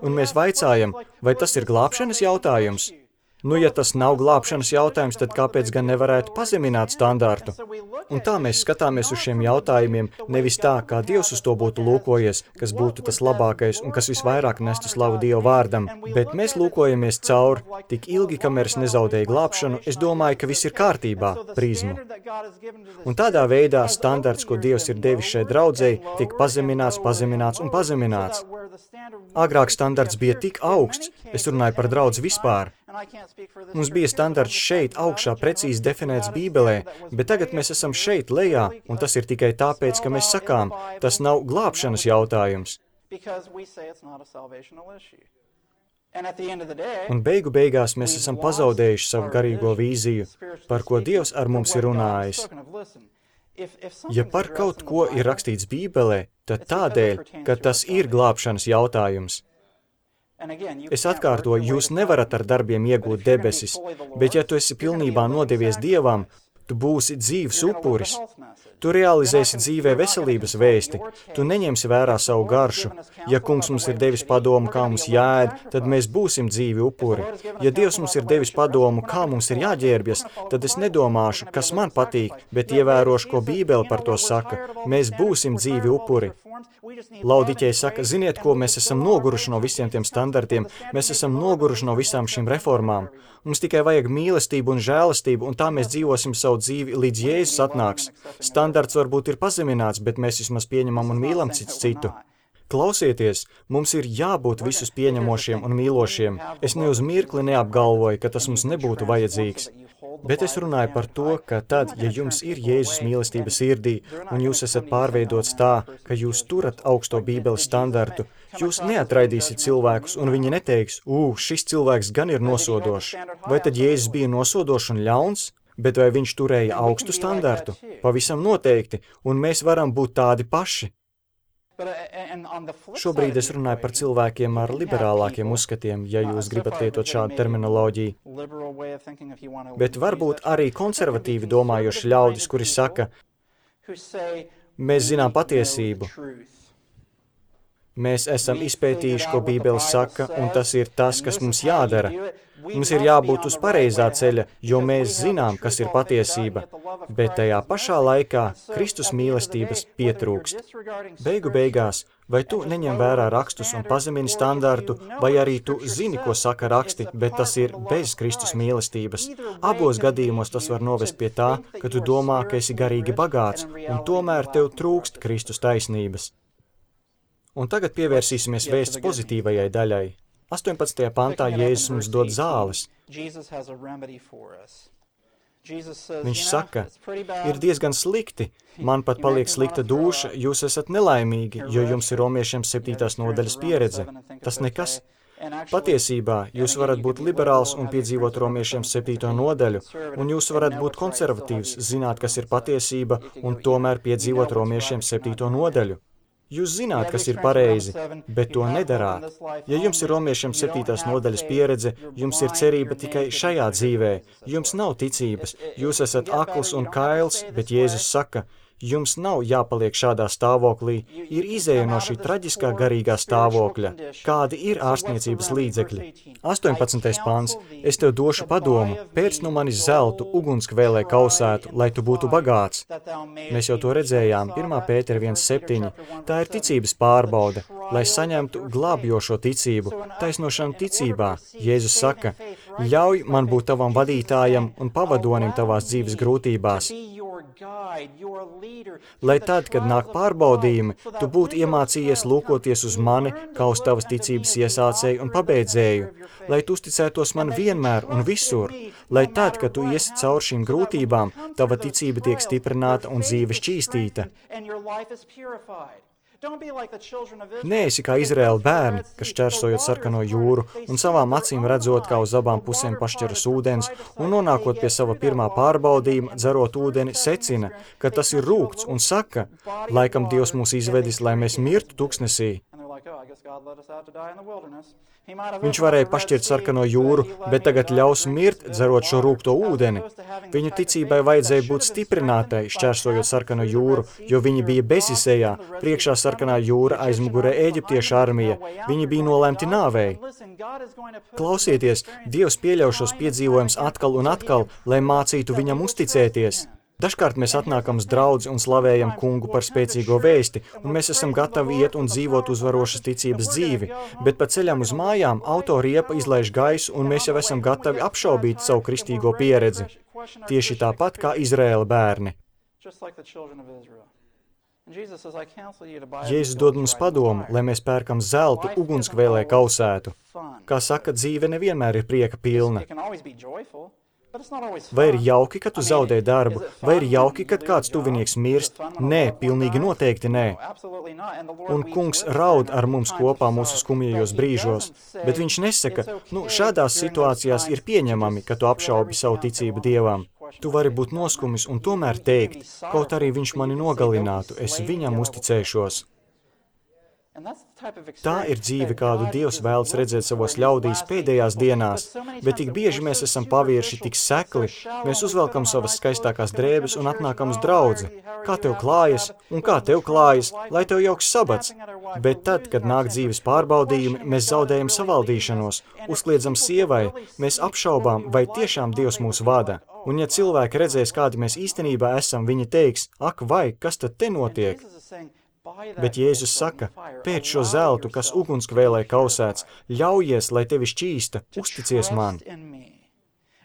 Un mēs vaicājam, vai tas ir glābšanas jautājums? Nu, ja tas nav glābšanas jautājums, tad kāpēc gan nevarētu pazemināt standārtu? Un tā mēs skatāmies uz šiem jautājumiem, nevis tā, kā Dievs uz to būtu lūkojies, kas būtu tas labākais un kas visvairāk nestu slavu Dieva vārdam, bet mēs lūkojamies cauri tik ilgi, kamēr es nezaudēju glābšanu, es domāju, ka viss ir kārtībā, prizmu. Un tādā veidā standarts, ko Dievs ir devis šai draudzei, tiek pazemināts, pazemināts un pazemināts. Agrāk standarts bija tik augsts, es runāju par draudzi vispār. Mums bija standarts šeit augšā precīzi definēts Bībelē, bet tagad mēs esam šeit lejā, un tas ir tikai tāpēc, ka mēs sakām, tas nav glābšanas jautājums. Un beigu beigās mēs esam pazaudējuši savu garīgo vīziju, par ko Dievs ar mums ir runājis. Ja par kaut ko ir rakstīts Bībelē, tad tādēļ, ka tas ir glābšanas jautājums. Es atkārtoju, jūs nevarat ar darbiem iegūt debesis, bet ja tu esi pilnībā nodevies Dievam, tu būsi dzīvs upuris. Tu realizēsi dzīvē veselības vēsti, tu neņemsi vērā savu garšu. Ja kungs mums ir devis padomu, kā mums jāēd, tad mēs būsim dzīvi upuri. Ja Dievs mums ir devis padomu, kā mums ir jāģērbjas, tad es nedomāšu, kas man patīk, bet ievērošu, ko Bībele par to saka. Mēs būsim dzīvi upuri. Laudiķei saka, ziniet, ko mēs esam noguruši no visiem tiem standartiem, mēs esam noguruši no visām šīm reformām. Mums tikai vajag mīlestību un žēlastību, un tā mēs dzīvosim savu dzīvi, līdz Jēzus atnāks. Standarts varbūt ir pazemināts, bet mēs vismaz pieņemam un mīlam cits citu. Klausieties, mums ir jābūt visus pieņemošiem un mīlošiem. Es ne uz mirkli neapgalvoju, ka tas mums nebūtu vajadzīgs. Bet es runāju par to, ka tad, ja jums ir Jēzus mīlestība sirdī, un jūs esat pārveidots tā, ka jūs turat augsto Bībeles standartu, jūs neatraidīsiet cilvēkus, un viņi neteiks, ū, šis cilvēks gan ir nosodošs. Vai tad Jēzus bija nosodošs un ļauns? Bet vai viņš turēja augstu standartu? Pavisam noteikti, un mēs varam būt tādi paši. Šobrīd es runāju par cilvēkiem ar liberālākiem uzskatiem, ja jūs gribat lietot šādu terminoloģiju. Bet varbūt arī konservatīvi domājoši ļaudis, kuri saka, mēs zinām patiesību. Mēs esam izpētījuši, ko Bībele saka, un tas ir tas, kas mums jādara. Mums ir jābūt uz pareizā ceļa, jo mēs zinām, kas ir patiesība, bet tajā pašā laikā Kristus mīlestības pietrūkst. Beigu beigās, vai tu neņem vērā rakstus un pazemini standartu, vai arī tu zini, ko saka raksti, bet tas ir bez Kristus mīlestības. Abos gadījumos tas var novest pie tā, ka tu domā, ka esi garīgi bagāts, un tomēr tev trūkst Kristus taisnības. Un tagad pievērsīsimies vēsts pozitīvajai daļai. astoņpadsmitajā pantā Jēzus mums dod zāles. Viņš saka, ir diezgan slikti, man pat paliek slikta dūša, jūs esat nelaimīgi, jo jums ir romiešiem septītās nodaļas pieredze. Tas nekas. Patiesībā jūs varat būt liberāls un piedzīvot romiešiem septīto nodaļu, un jūs varat būt konservatīvs, zināt, kas ir patiesība, un tomēr piedzīvot romiešiem septīto nodaļu. Jūs zināt, kas ir pareizi, bet to nedarāt. Ja jums ir romiešiem septītās nodaļas pieredze, jums ir cerība tikai šajā dzīvē. Jums nav ticības, jūs esat akls un kails, bet Jēzus saka, jums nav jāpaliek šādā stāvoklī, ir izēja no šī traģiskā garīgā stāvokļa. Kādi ir ārstniecības līdzekļi? astoņpadsmitais pants. Es tev došu padomu, pēc no manis zeltu, ugunskvēlē kausētu, lai tu būtu bagāts. Mēs jau to redzējām, pirmā Pētera viens septiņi. Tā ir ticības pārbaude, lai saņemtu glābjošo ticību, taisnošanu ticībā. Jēzus saka, ļauj man būt tavam vadītājam un pavadonim tavās dzīves grūtībās. Lai tad, kad nāk pārbaudījumi, tu būtu iemācījies lūkoties uz mani, kā uz tavas ticības iesācēju un pabeidzēju, lai tu uzticētos man vienmēr un visur, lai tad, kad tu iesi caur šīm grūtībām, tava ticība tiek stiprināta un dzīve šķīstīta. Neesi kā Izraēla bērni, kas šķērsojot sarkano jūru un savām acīm redzot, kā uz abām pusēm pašķeras ūdens, un nonākot pie sava pirmā pārbaudījuma, dzerot ūdeni, secina, ka tas ir rūgts un saka, laikam Dievs mūs izvedis, lai mēs mirtu tuksnesī. Viņš varēja pašķirt sarkano jūru, bet tagad ļaus mirt, dzerot šo rūgto ūdeni. Viņu ticībai vajadzēja būt stiprinātai, šķērsojot sarkano jūru, jo viņi bija bezizejā, priekšā sarkanā jūra, aizmugurē Ēģiptiešu armija. Viņi bija nolēmti nāvei. Klausieties, Dievs pieļauj šos piedzīvojumus atkal un atkal, lai mācītu viņam uzticēties. Dažkārt mēs atnākam uz draudzi un slavējam kungu par spēcīgo vēsti, un mēs esam gatavi iet un dzīvot uzvarošas ticības dzīvi, bet pa ceļam uz mājām auto riepa izlaiž gaisu, un mēs jau esam gatavi apšaubīt savu kristīgo pieredzi. Tieši tāpat kā Izraēla bērni. Jēzus dod mums padomu, lai mēs pērkam zeltu ugunskvēlē kausētu. Kā saka, dzīve nevienmēr ir prieka pilna. Vai ir jauki, ka tu zaudē darbu? Vai ir jauki, kad kāds tuvinieks mirst? Nē, pilnīgi noteikti nē. Un kungs raud ar mums kopā mūsu skumjajos brīžos, bet viņš nesaka, nu, šādās situācijās ir pieņemami, ka tu apšaubi savu ticību Dievam. Tu vari būt noskumis un tomēr teikt, kaut arī viņš mani nogalinātu, es viņam uzticēšos. Tā ir dzīve, kādu Dievs vēlas redzēt savos ļaudīs pēdējās dienās, bet tik bieži mēs esam pavierši tik sekli, mēs uzvelkam savas skaistākās drēbes un atnākam uz draudzi. Kā tev klājas? Un kā tev klājas? Lai tev jauks sabats. Bet tad, kad nāk dzīves pārbaudījumi, mēs zaudējam savaldīšanos, uzkliedzam sievai, mēs apšaubām, vai tiešām Dievs mūs vada. Un ja cilvēki redzēs, kādi mēs īstenībā esam, viņi teiks, ak vai, kas tad te notiek? Bet Jēzus saka, pēc šo zeltu, kas ugunskvēlē kausēts, ļaujies, lai tevi šķīsta, uzticies man.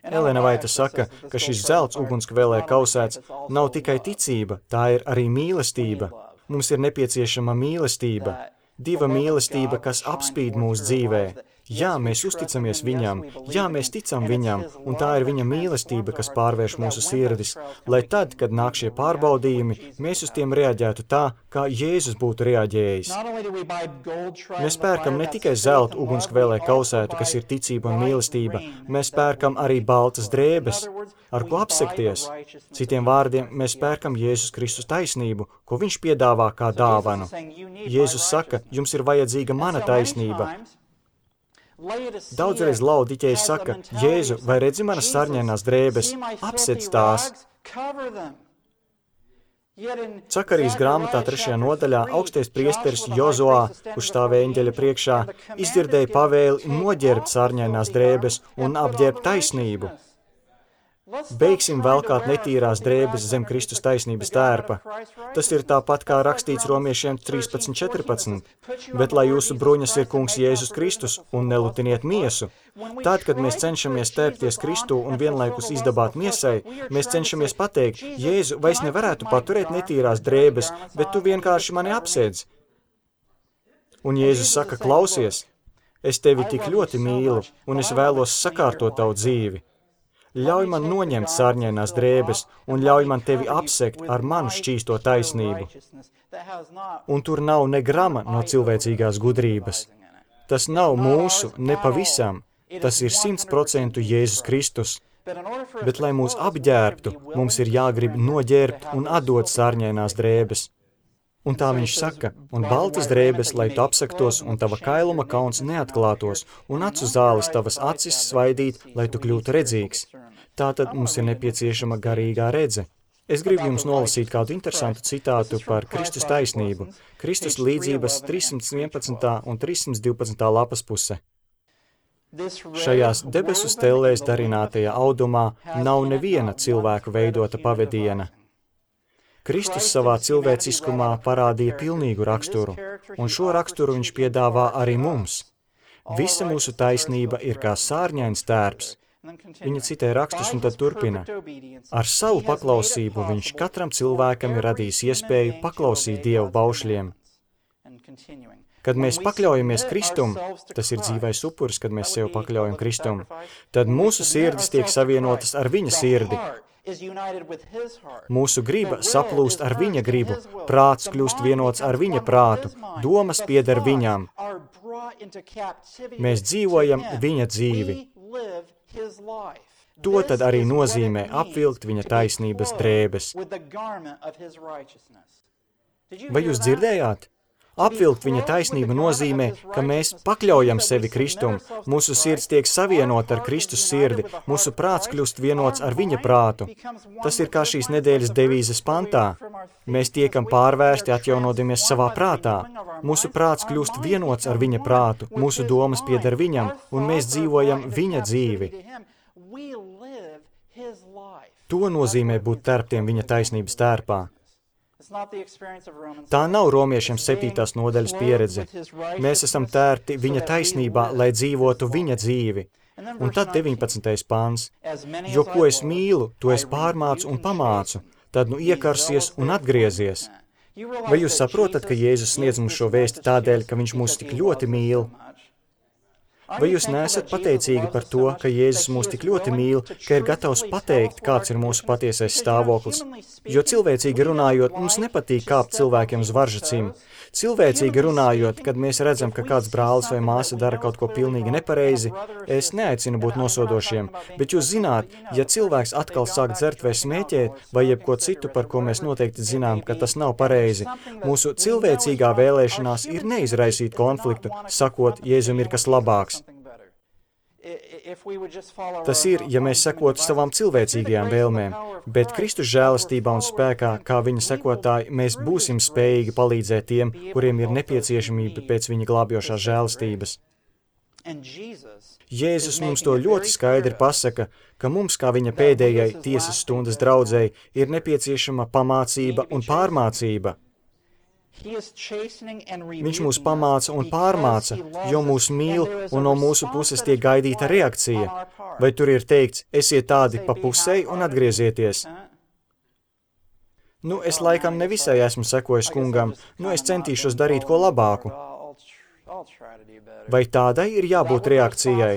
Elena Vaita saka, ka šis zelts ugunskvēlē kausēts nav tikai ticība, tā ir arī mīlestība. Mums ir nepieciešama mīlestība, diva mīlestība, kas apspīd mūsu dzīvē. Jā, mēs uzticamies viņam, jā, mēs ticam viņam, un tā ir viņa mīlestība, kas pārvērš mūsu sirdis, lai tad, kad nāk šie pārbaudījumi, mēs uz tiem reaģētu tā, kā Jēzus būtu reaģējis. Mēs pērkam ne tikai zeltu ugunskvēlē kausētu, kas ir ticība un mīlestība, mēs pērkam arī baltas drēbes, ar ko apsekties. Citiem vārdiem, mēs pērkam Jēzus Kristus taisnību, ko viņš piedāvā kā dāvanu. Jēzus saka, jums ir vajadzīga mana taisnība. Daudzreiz laudiķēji saka, Jēzu, vai redzi manas sarņainās drēbes, apsec tās. Cakarijas grāmatā trešajā nodaļā augstais priesteris Jozoā, kurš stāvēja eņģeļa priekšā, izdzirdēja pavēli noģērbt sarņainās drēbes un apģērbt taisnību. Beigsim velkāt netīrās drēbes zem Kristus taisnības tērpa. Tas ir tāpat kā rakstīts Romiešiem trīspadsmit četrpadsmit. Bet lai jūsu bruņas ir kungs Jēzus Kristus un nelutiniet miesu. Tad, kad mēs cenšamies tērpties Kristū un vienlaikus izdabāt miesai, mēs cenšamies pateikt, Jēzu, vai es nevarētu paturēt netīrās drēbes, bet tu vienkārši mani apsēdz. Un Jēzus saka, klausies, es tevi tik ļoti mīlu un es vēlos sakārtot tavu dzīvi. Ļauj man noņemt sārņainās drēbes un ļauj man tevi apsekt ar manu šķīsto taisnību. Un tur nav ne grama no cilvēcīgās gudrības. Tas nav mūsu, ne pavisam. Tas ir simts procentu Jēzus Kristus. Bet, lai mūs apģērbtu, mums ir jāgrib noģērbt un atdot sārņainās drēbes. Un tā viņš saka, un baltas drēbes, lai tu apsektos un tava kailuma kauns neatklātos, un acu zāles tavas acis svaidīt, lai tu kļūtu redzīgs. Tātad mums ir nepieciešama garīgā redze. Es gribu jums nolasīt kādu interesantu citātu par Kristus taisnību. Kristus līdzības trīssimt vienpadsmitā un trīssimt divpadsmitā lapas puse. Šajās debesu stellēs darinātajā audumā nav neviena cilvēku veidota pavediena. Kristus savā cilvēciskumā parādīja pilnīgu raksturu, un šo raksturu viņš piedāvā arī mums. Visa mūsu taisnība ir kā sārņains tērps. Viņa citē rakstus un tad turpina. Ar savu paklausību viņš katram cilvēkam ir radījis iespēju paklausīt Dievu baušļiem. Kad mēs pakļaujamies Kristum, tas ir dzīvais upuris, kad mēs sev pakļaujam Kristum, tad mūsu sirdis tiek savienotas ar viņa sirdi. Mūsu griba saplūst ar viņa gribu, prāts kļūst vienots ar viņa prātu, domas pieder viņam. Mēs dzīvojam viņa dzīvi. To tad arī nozīmē apvilkt viņa taisnības drēbes. Vai jūs dzirdējāt? Apvilkt viņa taisnību nozīmē, ka mēs pakļaujam sevi Kristum, mūsu sirds tiek savienota ar Kristus sirdi, mūsu prāts kļūst vienots ar viņa prātu. Tas ir kā šīs nedēļas devīzes pantā. Mēs tiekam pārvērsti atjaunodamies savā prātā. Mūsu prāts kļūst vienots ar viņa prātu, mūsu domas pieder viņam, un mēs dzīvojam viņa dzīvi. To nozīmē būt tērptiem viņa taisnības tērpā. Tā nav romiešiem septītās nodaļas pieredze. Mēs esam tērti viņa taisnībā, lai dzīvotu viņa dzīvi. Un tad deviņpadsmitais pāns. Jo ko es mīlu, to es pārmācu un pamācu, tad nu iekarsies un atgriezies. Vai jūs saprotat, ka Jēzus sniedz mums šo vēsti tādēļ, ka viņš mūs tik ļoti mīl? Vai jūs neesat pateicīgi par to, ka Jēzus mūs tik ļoti mīl, ka ir gatavs pateikt, kāds ir mūsu patiesais stāvoklis? Jo cilvēcīgi runājot, mums nepatīk kāpt cilvēkiem uz varžacīm. Cilvēcīgi runājot, kad mēs redzam, ka kāds brālis vai māsa dara kaut ko pilnīgi nepareizi, es neaicinu būt nosodošiem, bet jūs zināt, ja cilvēks atkal sāk dzert vai smēķēt, vai jebko citu, par ko mēs noteikti zinām, ka tas nav pareizi, mūsu cilvēcīgā vēlēšanās ir neizraisīt konfliktu, sakot, Jēzum ir kas labāks. Tas ir, ja mēs sekotu savām cilvēcīgajām vēlmēm, bet Kristus žēlastībā un spēkā, kā viņa sekotāji, mēs būsim spējīgi palīdzēt tiem, kuriem ir nepieciešamība pēc viņa glābjošās žēlastības. Jēzus mums to ļoti skaidri pasaka, ka mums, kā viņa pēdējai tiesas stundas draudzēji, ir nepieciešama pamācība un pārmācība. Viņš mūs pamāca un pārmāca, jo mūs mīl un no mūsu puses tiek gaidīta reakcija. Vai tur ir teikts, esiet tādi pa pusei un atgriezieties? Nu, es laikam nevisai esmu sekojis kungam, nu es centīšos darīt ko labāku. Vai tādai ir jābūt reakcijai?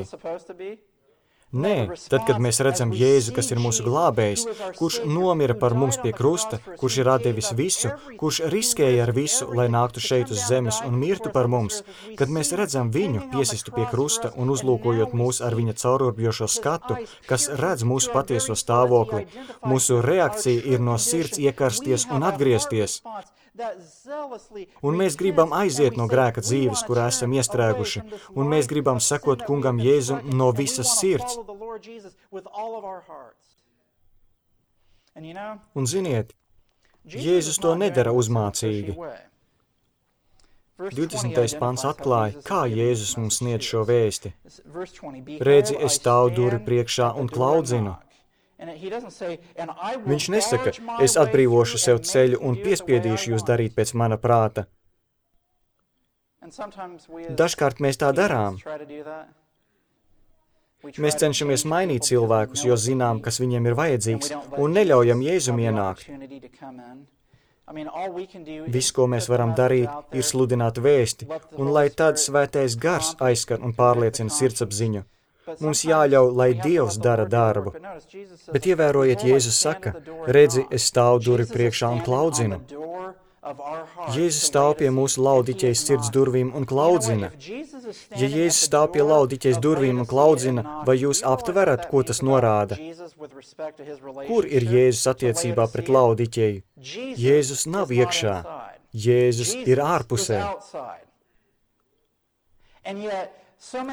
Nē, tad, kad mēs redzam Jēzu, kas ir mūsu glābējs, kurš nomira par mums pie krusta, kurš ir atdevis visu, kurš riskēja ar visu, lai nāktu šeit uz zemes un mirtu par mums, kad mēs redzam viņu piesistu pie krusta un uzlūkojot mūs ar viņa caururbjošo skatu, kas redz mūsu patieso stāvokli, mūsu reakcija ir no sirds iekarsties un atgriezties. Un mēs gribam aiziet no grēka dzīves, kurā esam iestrēguši, un mēs gribam sekot kungam Jēzum no visas sirds. Un ziniet, Jēzus to nedara uzmācīgi. divdesmitais pants atklāja, kā Jēzus mums sniedz šo vēsti. Redzi, es stāvu durvju priekšā un klaudzinu. Viņš nesaka, es atbrīvošu sev ceļu un piespiedīšu jūs darīt pēc mana prāta. Dažkārt mēs tā darām. Mēs cenšamies mainīt cilvēkus, jo zinām, kas viņiem ir vajadzīgs, un neļaujam Jēzum ienākt. Viss, ko mēs varam darīt, ir sludināt vēsti, un lai tad svētais gars aizskar un pārliecina sirdsapziņu. Mums jāļauj, lai Dievs dara darbu. Bet ievērojiet, Jēzus saka, redzi, es stāvu durvju priekšā un klaudzinu. Jēzus stāv pie mūsu laudiķejas sirds durvīm un klaudzina. Ja Jēzus stāv pie laudiķejas durvīm un klaudzina, vai jūs aptverat, ko tas norāda? Kur ir Jēzus attiecībā pret laudiķeju? Jēzus nav iekšā. Jēzus ir ārpusē.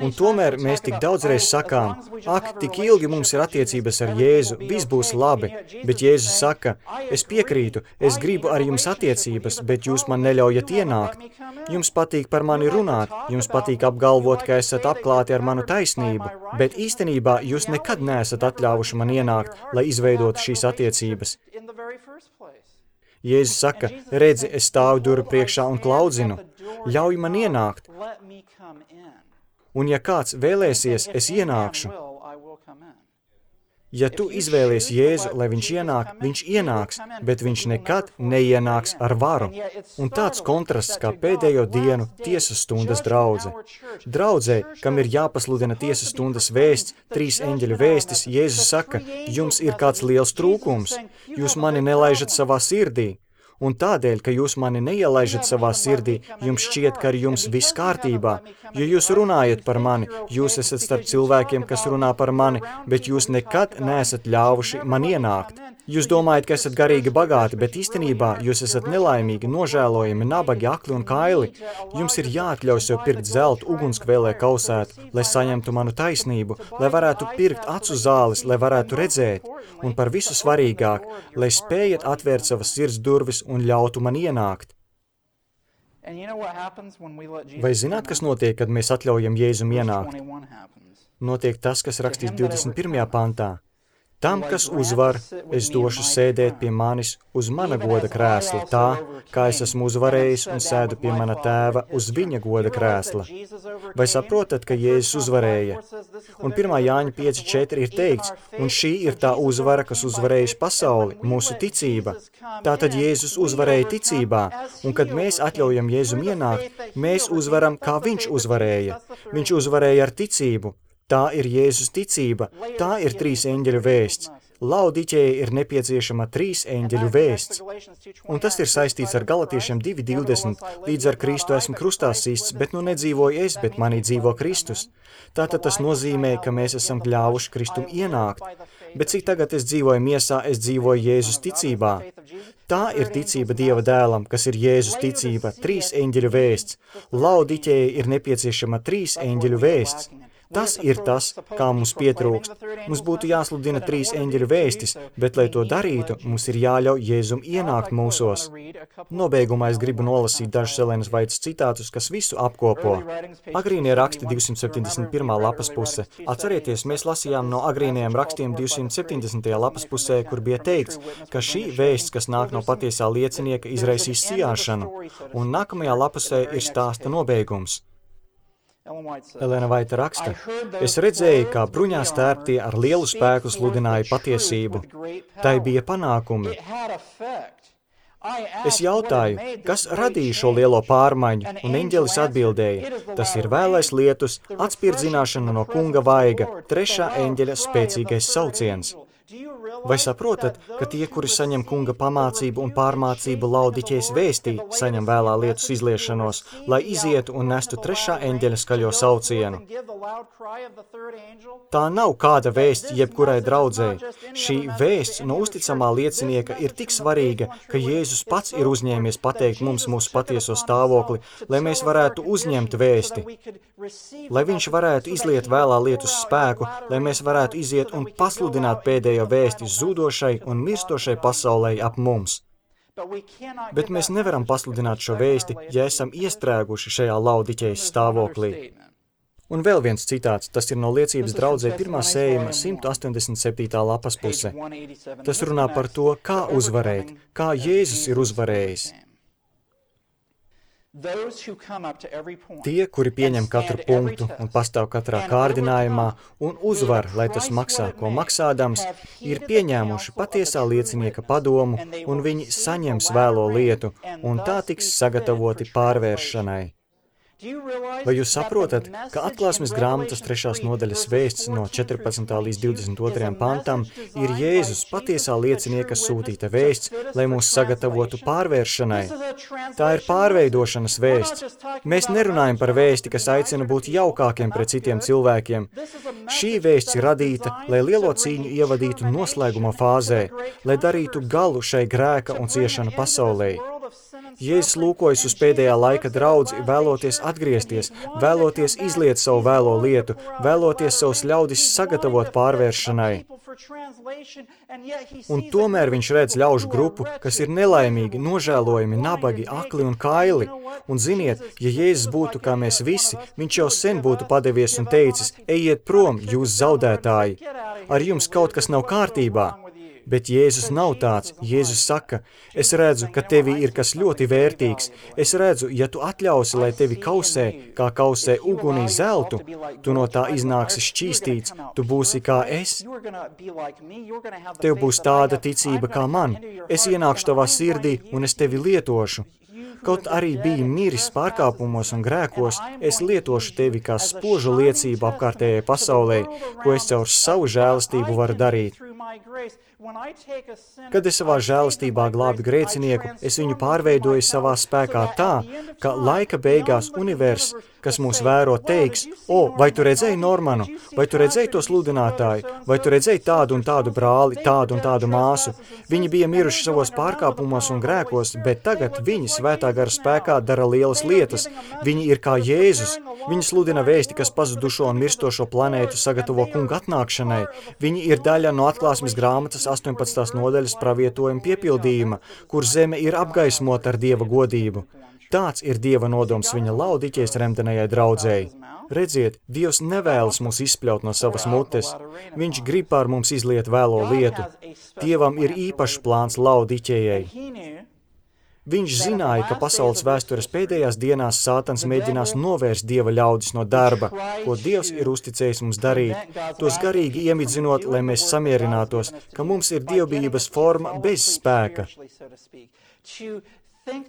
Un tomēr mēs tik daudzreiz sakām, ak, tik ilgi mums ir attiecības ar Jēzu, viss būs labi, bet Jēzus saka, es piekrītu, es gribu ar jums attiecības, bet jūs man neļaujat ienākt. Jums patīk par mani runāt, jums patīk apgalvot, ka esat apklāti ar manu taisnību, bet īstenībā jūs nekad neesat atļāvuši man ienākt, lai izveidotu šīs attiecības. Jēzus saka, redzi, es stāvu durvju priekšā un klaudzinu, ļauj man ienākt. Un ja kāds vēlēsies, es ienākšu. Ja tu izvēlies Jēzu, lai viņš ienāk, viņš ienāks, bet viņš nekad neienāks ar varu. Un tāds kontrasts kā pēdējo dienu tiesas stundas draudze. Draudzē, kam ir jāpasludina tiesas stundas vēsts, trīs eņģeļu vēstis, Jēzus saka, jums ir kāds liels trūkums, jūs mani nelaižat savā sirdī. Un tādēļ, ka jūs mani neielaižat savā sirdī, jums šķiet, ka ar jums viss kārtībā. Jo jūs runājat par mani, jūs esat starp cilvēkiem, kas runā par mani, bet jūs nekad neesat ļāvuši man ienākt. Jūs domājat, ka esat garīgi bagāti, bet īstenībā jūs esat nelaimīgi, nožēlojami, nabagi, akli un kaili. Jums ir jāatļauj sev pirkt zeltu ugunskvēlē kausēt, lai saņemtu manu taisnību, lai varētu pirkt acu zāles, lai varētu redzēt, un par visu svarīgāk, lai spējat atvērt savas sirds durvis un ļautu man ienākt. Vai zināt, kas notiek, kad mēs atļaujam Jēzum ienākt? Notiek tas, kas rakstīts divdesmit pirmajā pantā. Tam, kas uzvar, es došu sēdēt pie manis uz mana goda krēsla, tā, kā es esmu uzvarējis un sēdu pie mana tēva uz viņa goda krēsla. Vai saprotat, ka Jēzus uzvarēja? Un pirmā Jāņa pieci četri ir teikts, un šī ir tā uzvara, kas uzvarējusi pasauli, mūsu ticība. Tātad Jēzus uzvarēja ticībā, un kad mēs atļaujam Jēzum ienākt, mēs uzvaram, kā viņš uzvarēja. Viņš uzvarēja ar ticību. Tā ir Jēzus ticība, tā ir trīs eņģeļu vēsts. Laodiķei ir nepieciešama trīs eņģeļu vēsts. Un tas ir saistīts ar Galatiešiem divi divdesmit, līdz ar Kristu esmu krustā sists, bet nu nedzīvoju es, bet manī dzīvo Kristus. Tātad tas nozīmē, ka mēs esam ļāvuši Kristum ienākt. Bet cik tagad es dzīvoju miesā, es dzīvoju Jēzus ticībā. Tā ir ticība Dieva dēlam, kas ir Jēzus ticība, trīs eņģeļu vēsts. Laodiķei ir nepieciešama trīs eņģeļu vēsts. Tas ir tas, kā mums pietrūkst. Mums būtu jāsludina trīs eņģeļu vēstis, bet, lai to darītu, mums ir jāļauj Jēzum ienākt mūsos. Nobeigumā es gribu nolasīt dažus Elenas Vaitas citātus, kas visu apkopo. Agrīnie raksti divsimt septiņdesmit pirmā lapas puse. Atcerieties, mēs lasījām no agrīniem rakstiem divsimt septiņdesmitajā lapas pusē, kur bija teikts, ka šī vēsts, kas nāk no patiesā liecinieka, izraisīs sijāšanu, un nākamajā lapusē ir stāsta nobeigums. Elena Vaita raksta, es redzēju, kā bruņā stērptie ar lielu spēku sludināja patiesību. Tai bija panākumi. Es jautāju, kas radīja šo lielo pārmaiņu, un eņģelis atbildēja, tas ir vēlais lietus, atspirdzināšana no kunga vaiga, trešā eņģeļa spēcīgais sauciens. Vai saprotat, ka tie, kuri saņem kunga pamācību un pārmācību Laodiķejas vēstī, saņem vēlā lietus izliešanos, lai izietu un nestu trešā eņģeļa skaļo saucienu? Tā nav kāda vēsts jebkurai draudzei. Šī vēsts no uzticamā liecinieka ir tik svarīga, ka Jēzus pats ir uzņēmies pateikt mums mūsu patieso stāvokli, lai mēs varētu uzņemt vēsti, lai viņš varētu izliet vēlā lietus spēku, lai mēs varētu iziet un pasludināt pēdējo vēsti zudošai un mirstošai pasaulē ap mums. Bet mēs nevaram pasludināt šo vēsti, ja esam iestrēguši šajā Laodiķejas stāvoklī. Un vēl viens citāts, tas ir no liecības draudzē pirmā sējuma simt astoņdesmit septītā lapas puse. Tas runā par to, kā uzvarēt, kā Jēzus ir uzvarējis. Tie, kuri pieņem katru punktu un pastāv katrā kārdinājumā un uzvar, lai tas maksā, ko maksādams, ir pieņēmuši patiesā liecinieka padomu un viņi saņems vēlo lietu un tā tiks sagatavoti pārvēršanai. Vai jūs saprotat, ka atklāsmes grāmatas trešās nodaļas vēsts no četrpadsmitā līdz divdesmit otrajam pantam ir Jēzus patiesā liecinieka sūtīta vēsts, lai mūs sagatavotu pārvēršanai? Tā ir pārveidošanas vēsts. Mēs nerunājam par vēsti, kas aicina būt jaukākiem pret citiem cilvēkiem. Šī vēsts ir radīta, lai lielo cīņu ievadītu noslēguma fāzē, lai darītu galu šai grēka un ciešanu pasaulē. Jēzus lūkojas uz pēdējā laika draudzi, vēloties atgriezties, vēloties izliet savu vēlo lietu, vēloties savus ļaudis sagatavot pārvēršanai. Un tomēr viņš redz ļaužu grupu, kas ir nelaimīgi, nožēlojami, nabagi, akli un kaili. Un ziniet, ja Jēzus būtu kā mēs visi, viņš jau sen būtu padevies un teicis, ejiet prom, jūs zaudētāji, ar jums kaut kas nav kārtībā. Bet Jēzus nav tāds. Jēzus saka, es redzu, ka tevī ir kas ļoti vērtīgs. Es redzu, ja tu atļausi, lai tevi kausē, kā kausē ugunī zeltu, tu no tā iznāksi šķīstīts, tu būsi kā es. Tev būs tāda ticība kā man. Es ienākšu tavā sirdī un es tevi lietošu. Kaut arī biji miris pārkāpumos un grēkos, es lietošu tevi kā spožu liecību apkārtējai pasaulē, ko es caur savu žēlastību varu darīt. Kad es savā žēlastībā glābi grēcinieku, es viņu pārveidoju savā spēkā tā, ka laika beigās universs kas mūs vēro, teiks, o, vai tu redzēji Normanu, vai tu redzēji to sludinātāju, vai tu redzēji tādu un tādu brāli, tādu un tādu māsu. Viņi bija miruši savos pārkāpumos un grēkos, bet tagad viņi svētā gara spēkā dara lielas lietas. Viņi ir kā Jēzus. Viņi sludina vēsti, kas pazudušo un mirstošo planētu sagatavo kunga atnākšanai. Viņi ir daļa no atklāsmes grāmatas astoņpadsmitās nodaļas pravietojuma piepildījuma, kur zeme ir apgaismota ar Dieva godību. Tāds ir Dieva nodoms viņa Laodiķejas remdenajai draudzēji. Redziet, Dievs nevēlas mūs izspļaut no savas mutes. Viņš grib pār mums izliet vēlo lietu. Dievam ir īpašs plāns Laodiķejai. Viņš zināja, ka pasaules vēstures pēdējās dienās Sātans mēģinās novērst Dieva ļaudis no darba, ko Dievs ir uzticējis mums darīt, tos garīgi iemidzinot, lai mēs samierinātos, ka mums ir dievbijības forma bez spēka.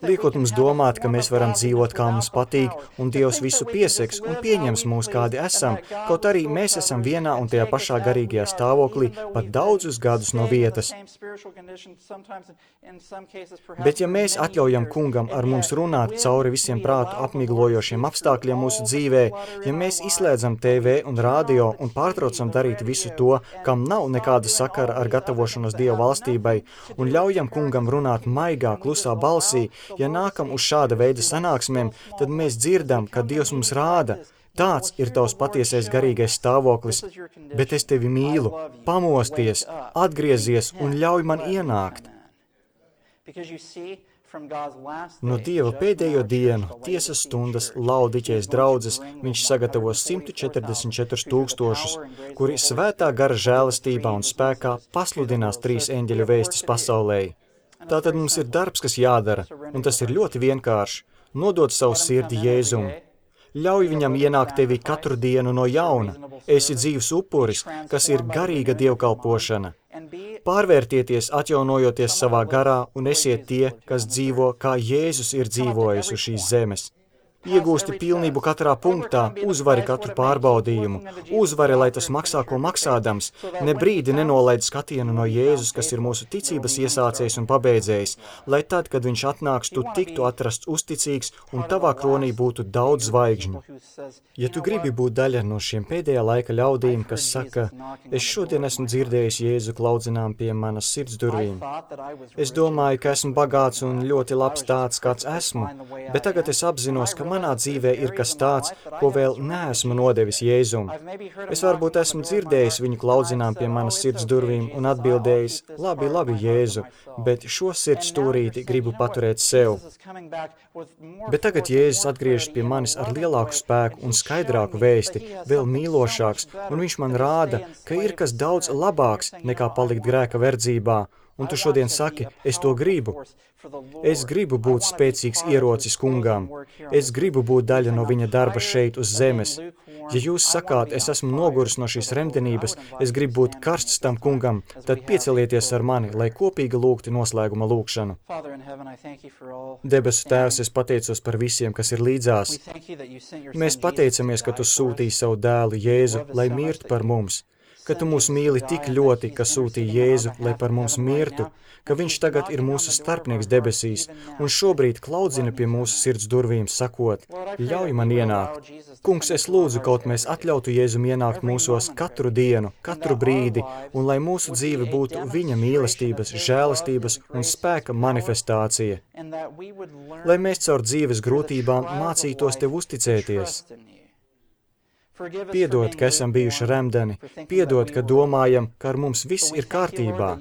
Liekot mums domāt, ka mēs varam dzīvot, kā mums patīk, un Dievs visu pieseks un pieņems mūs, kādi esam, kaut arī mēs esam vienā un tajā pašā garīgajā stāvoklī pat daudzus gadus no vietas. Bet ja mēs atļaujam kungam ar mums runāt cauri visiem prātu apmiglojošiem apstākļiem mūsu dzīvē, ja mēs izslēdzam T V un radio un pārtraucam darīt visu to, kam nav nekāda sakara ar gatavošanos Dieva valstībai, un ļaujam kungam runāt maigā, klusā balsī, ja nākam uz šāda veida sanāksmēm, tad mēs dzirdam, ka Dievs mums rāda, tāds ir tavs patiesais garīgais stāvoklis, bet es tevi mīlu, pamosties, atgriezies un ļauj man ienākt. No Dieva pēdējo dienu, tiesas stundas Laodiķejas draudzes, viņš sagatavos simt četrdesmit četrus tūkstošus, kuri svētā gara žēlastībā un spēkā pasludinās trīs eņģeļu vēstis pasaulē. Tātad mums ir darbs, kas jādara, un tas ir ļoti vienkārši. Nodot savu sirdi Jēzum. Ļauj viņam ienākt tevi katru dienu no jauna. Esi dzīvs upuris, kas ir garīga dievkalpošana. Pārvērtieties, atjaunojoties savā garā, un esiet tie, kas dzīvo, kā Jēzus ir dzīvojis uz šīs zemes. Iegūsti pilnību katrā punktā, uzvari katru pārbaudījumu, uzvari, lai tas maksā, ko maksādams, ne brīdi nenolaid skatienu no Jēzus, kas ir mūsu ticības iesācējs un pabeidzējs, lai tad, kad viņš atnāks, tu tiktu atrasts uzticīgs un tavā kronī būtu daudz zvaigžņu. Ja tu gribi būt daļa no šiem pēdējā laika ļaudīm, kas saka, es šodien esmu dzirdējis Jēzu klaudzinām pie manas sirds durvīm. Es domāju, ka esmu bagāts un ļoti labs tāds, kāds esmu, bet tagad es apzinos, ka manā dzīvē ir kas tāds, ko vēl neesmu nodevis Jēzum. Es varbūt esmu dzirdējis viņu klaudzinām pie manas sirds durvīm un atbildējis, labi, labi, Jēzu, bet šo sirds stūrīti gribu paturēt sev. Bet tagad Jēzus atgriežas pie manis ar lielāku spēku un skaidrāku vēsti, vēl mīlošāks, un viņš man rāda, ka ir kas daudz labāks nekā palikt grēka verdzībā. Un tu šodien saki, es to gribu. Es gribu būt spēcīgs ierocis kungām. Es gribu būt daļa no viņa darba šeit uz zemes. Ja jūs sakāt, es esmu noguris no šīs remdenības, es gribu būt karsts tam kungam, tad piecelieties ar mani, lai kopīgi lūgti noslēguma lūgšanu. Debesu Tēvs, es pateicos par visiem, kas ir līdzās. Mēs pateicamies, ka tu sūtīji savu dēlu Jēzu, lai mirtu par mums. Ka tu mūs mīli tik ļoti, ka sūtīji Jēzu, lai par mums mirtu, ka viņš tagad ir mūsu starpnieks debesīs un šobrīd klaudzina pie mūsu sirds durvīm, sakot, ļauj man ienākt. Kungs, es lūdzu, kaut mēs atļautu Jēzum ienākt mūsos katru dienu, katru brīdi, un lai mūsu dzīve būtu viņa mīlestības, žēlastības un spēka manifestācija. Lai mēs caur dzīves grūtībām mācītos tev uzticēties. Piedod, ka esam bijuši remdeni, piedod, ka domājam, ka ar mums viss ir kārtībā.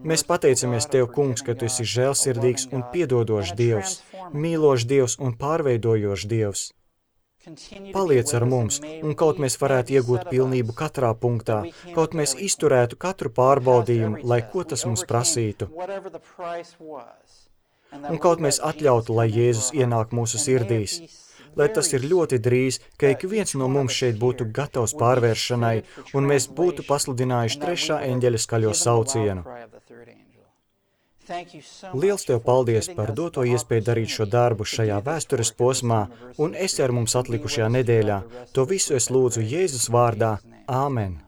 Mēs pateicamies Tev, Kungs, ka Tu esi žēlsirdīgs un piedodošs Dievs, mīlošs Dievs un pārveidojošs Dievs. Paliec ar mums, un kaut mēs varētu iegūt pilnību katrā punktā, kaut mēs izturētu katru pārbaudījumu, lai ko tas mums prasītu. Un kaut mēs atļautu, lai Jēzus ienāk mūsu sirdīs. Lai tas ir ļoti drīz, ka ik viens no mums šeit būtu gatavs pārvēršanai, un mēs būtu pasludinājuši trešā eņģeļa skaļo saucienu. Liels Tev paldies par doto iespēju darīt šo darbu šajā vēstures posmā, un esi ar mums atlikušajā nedēļā. To visu es lūdzu Jēzus vārdā. Āmen!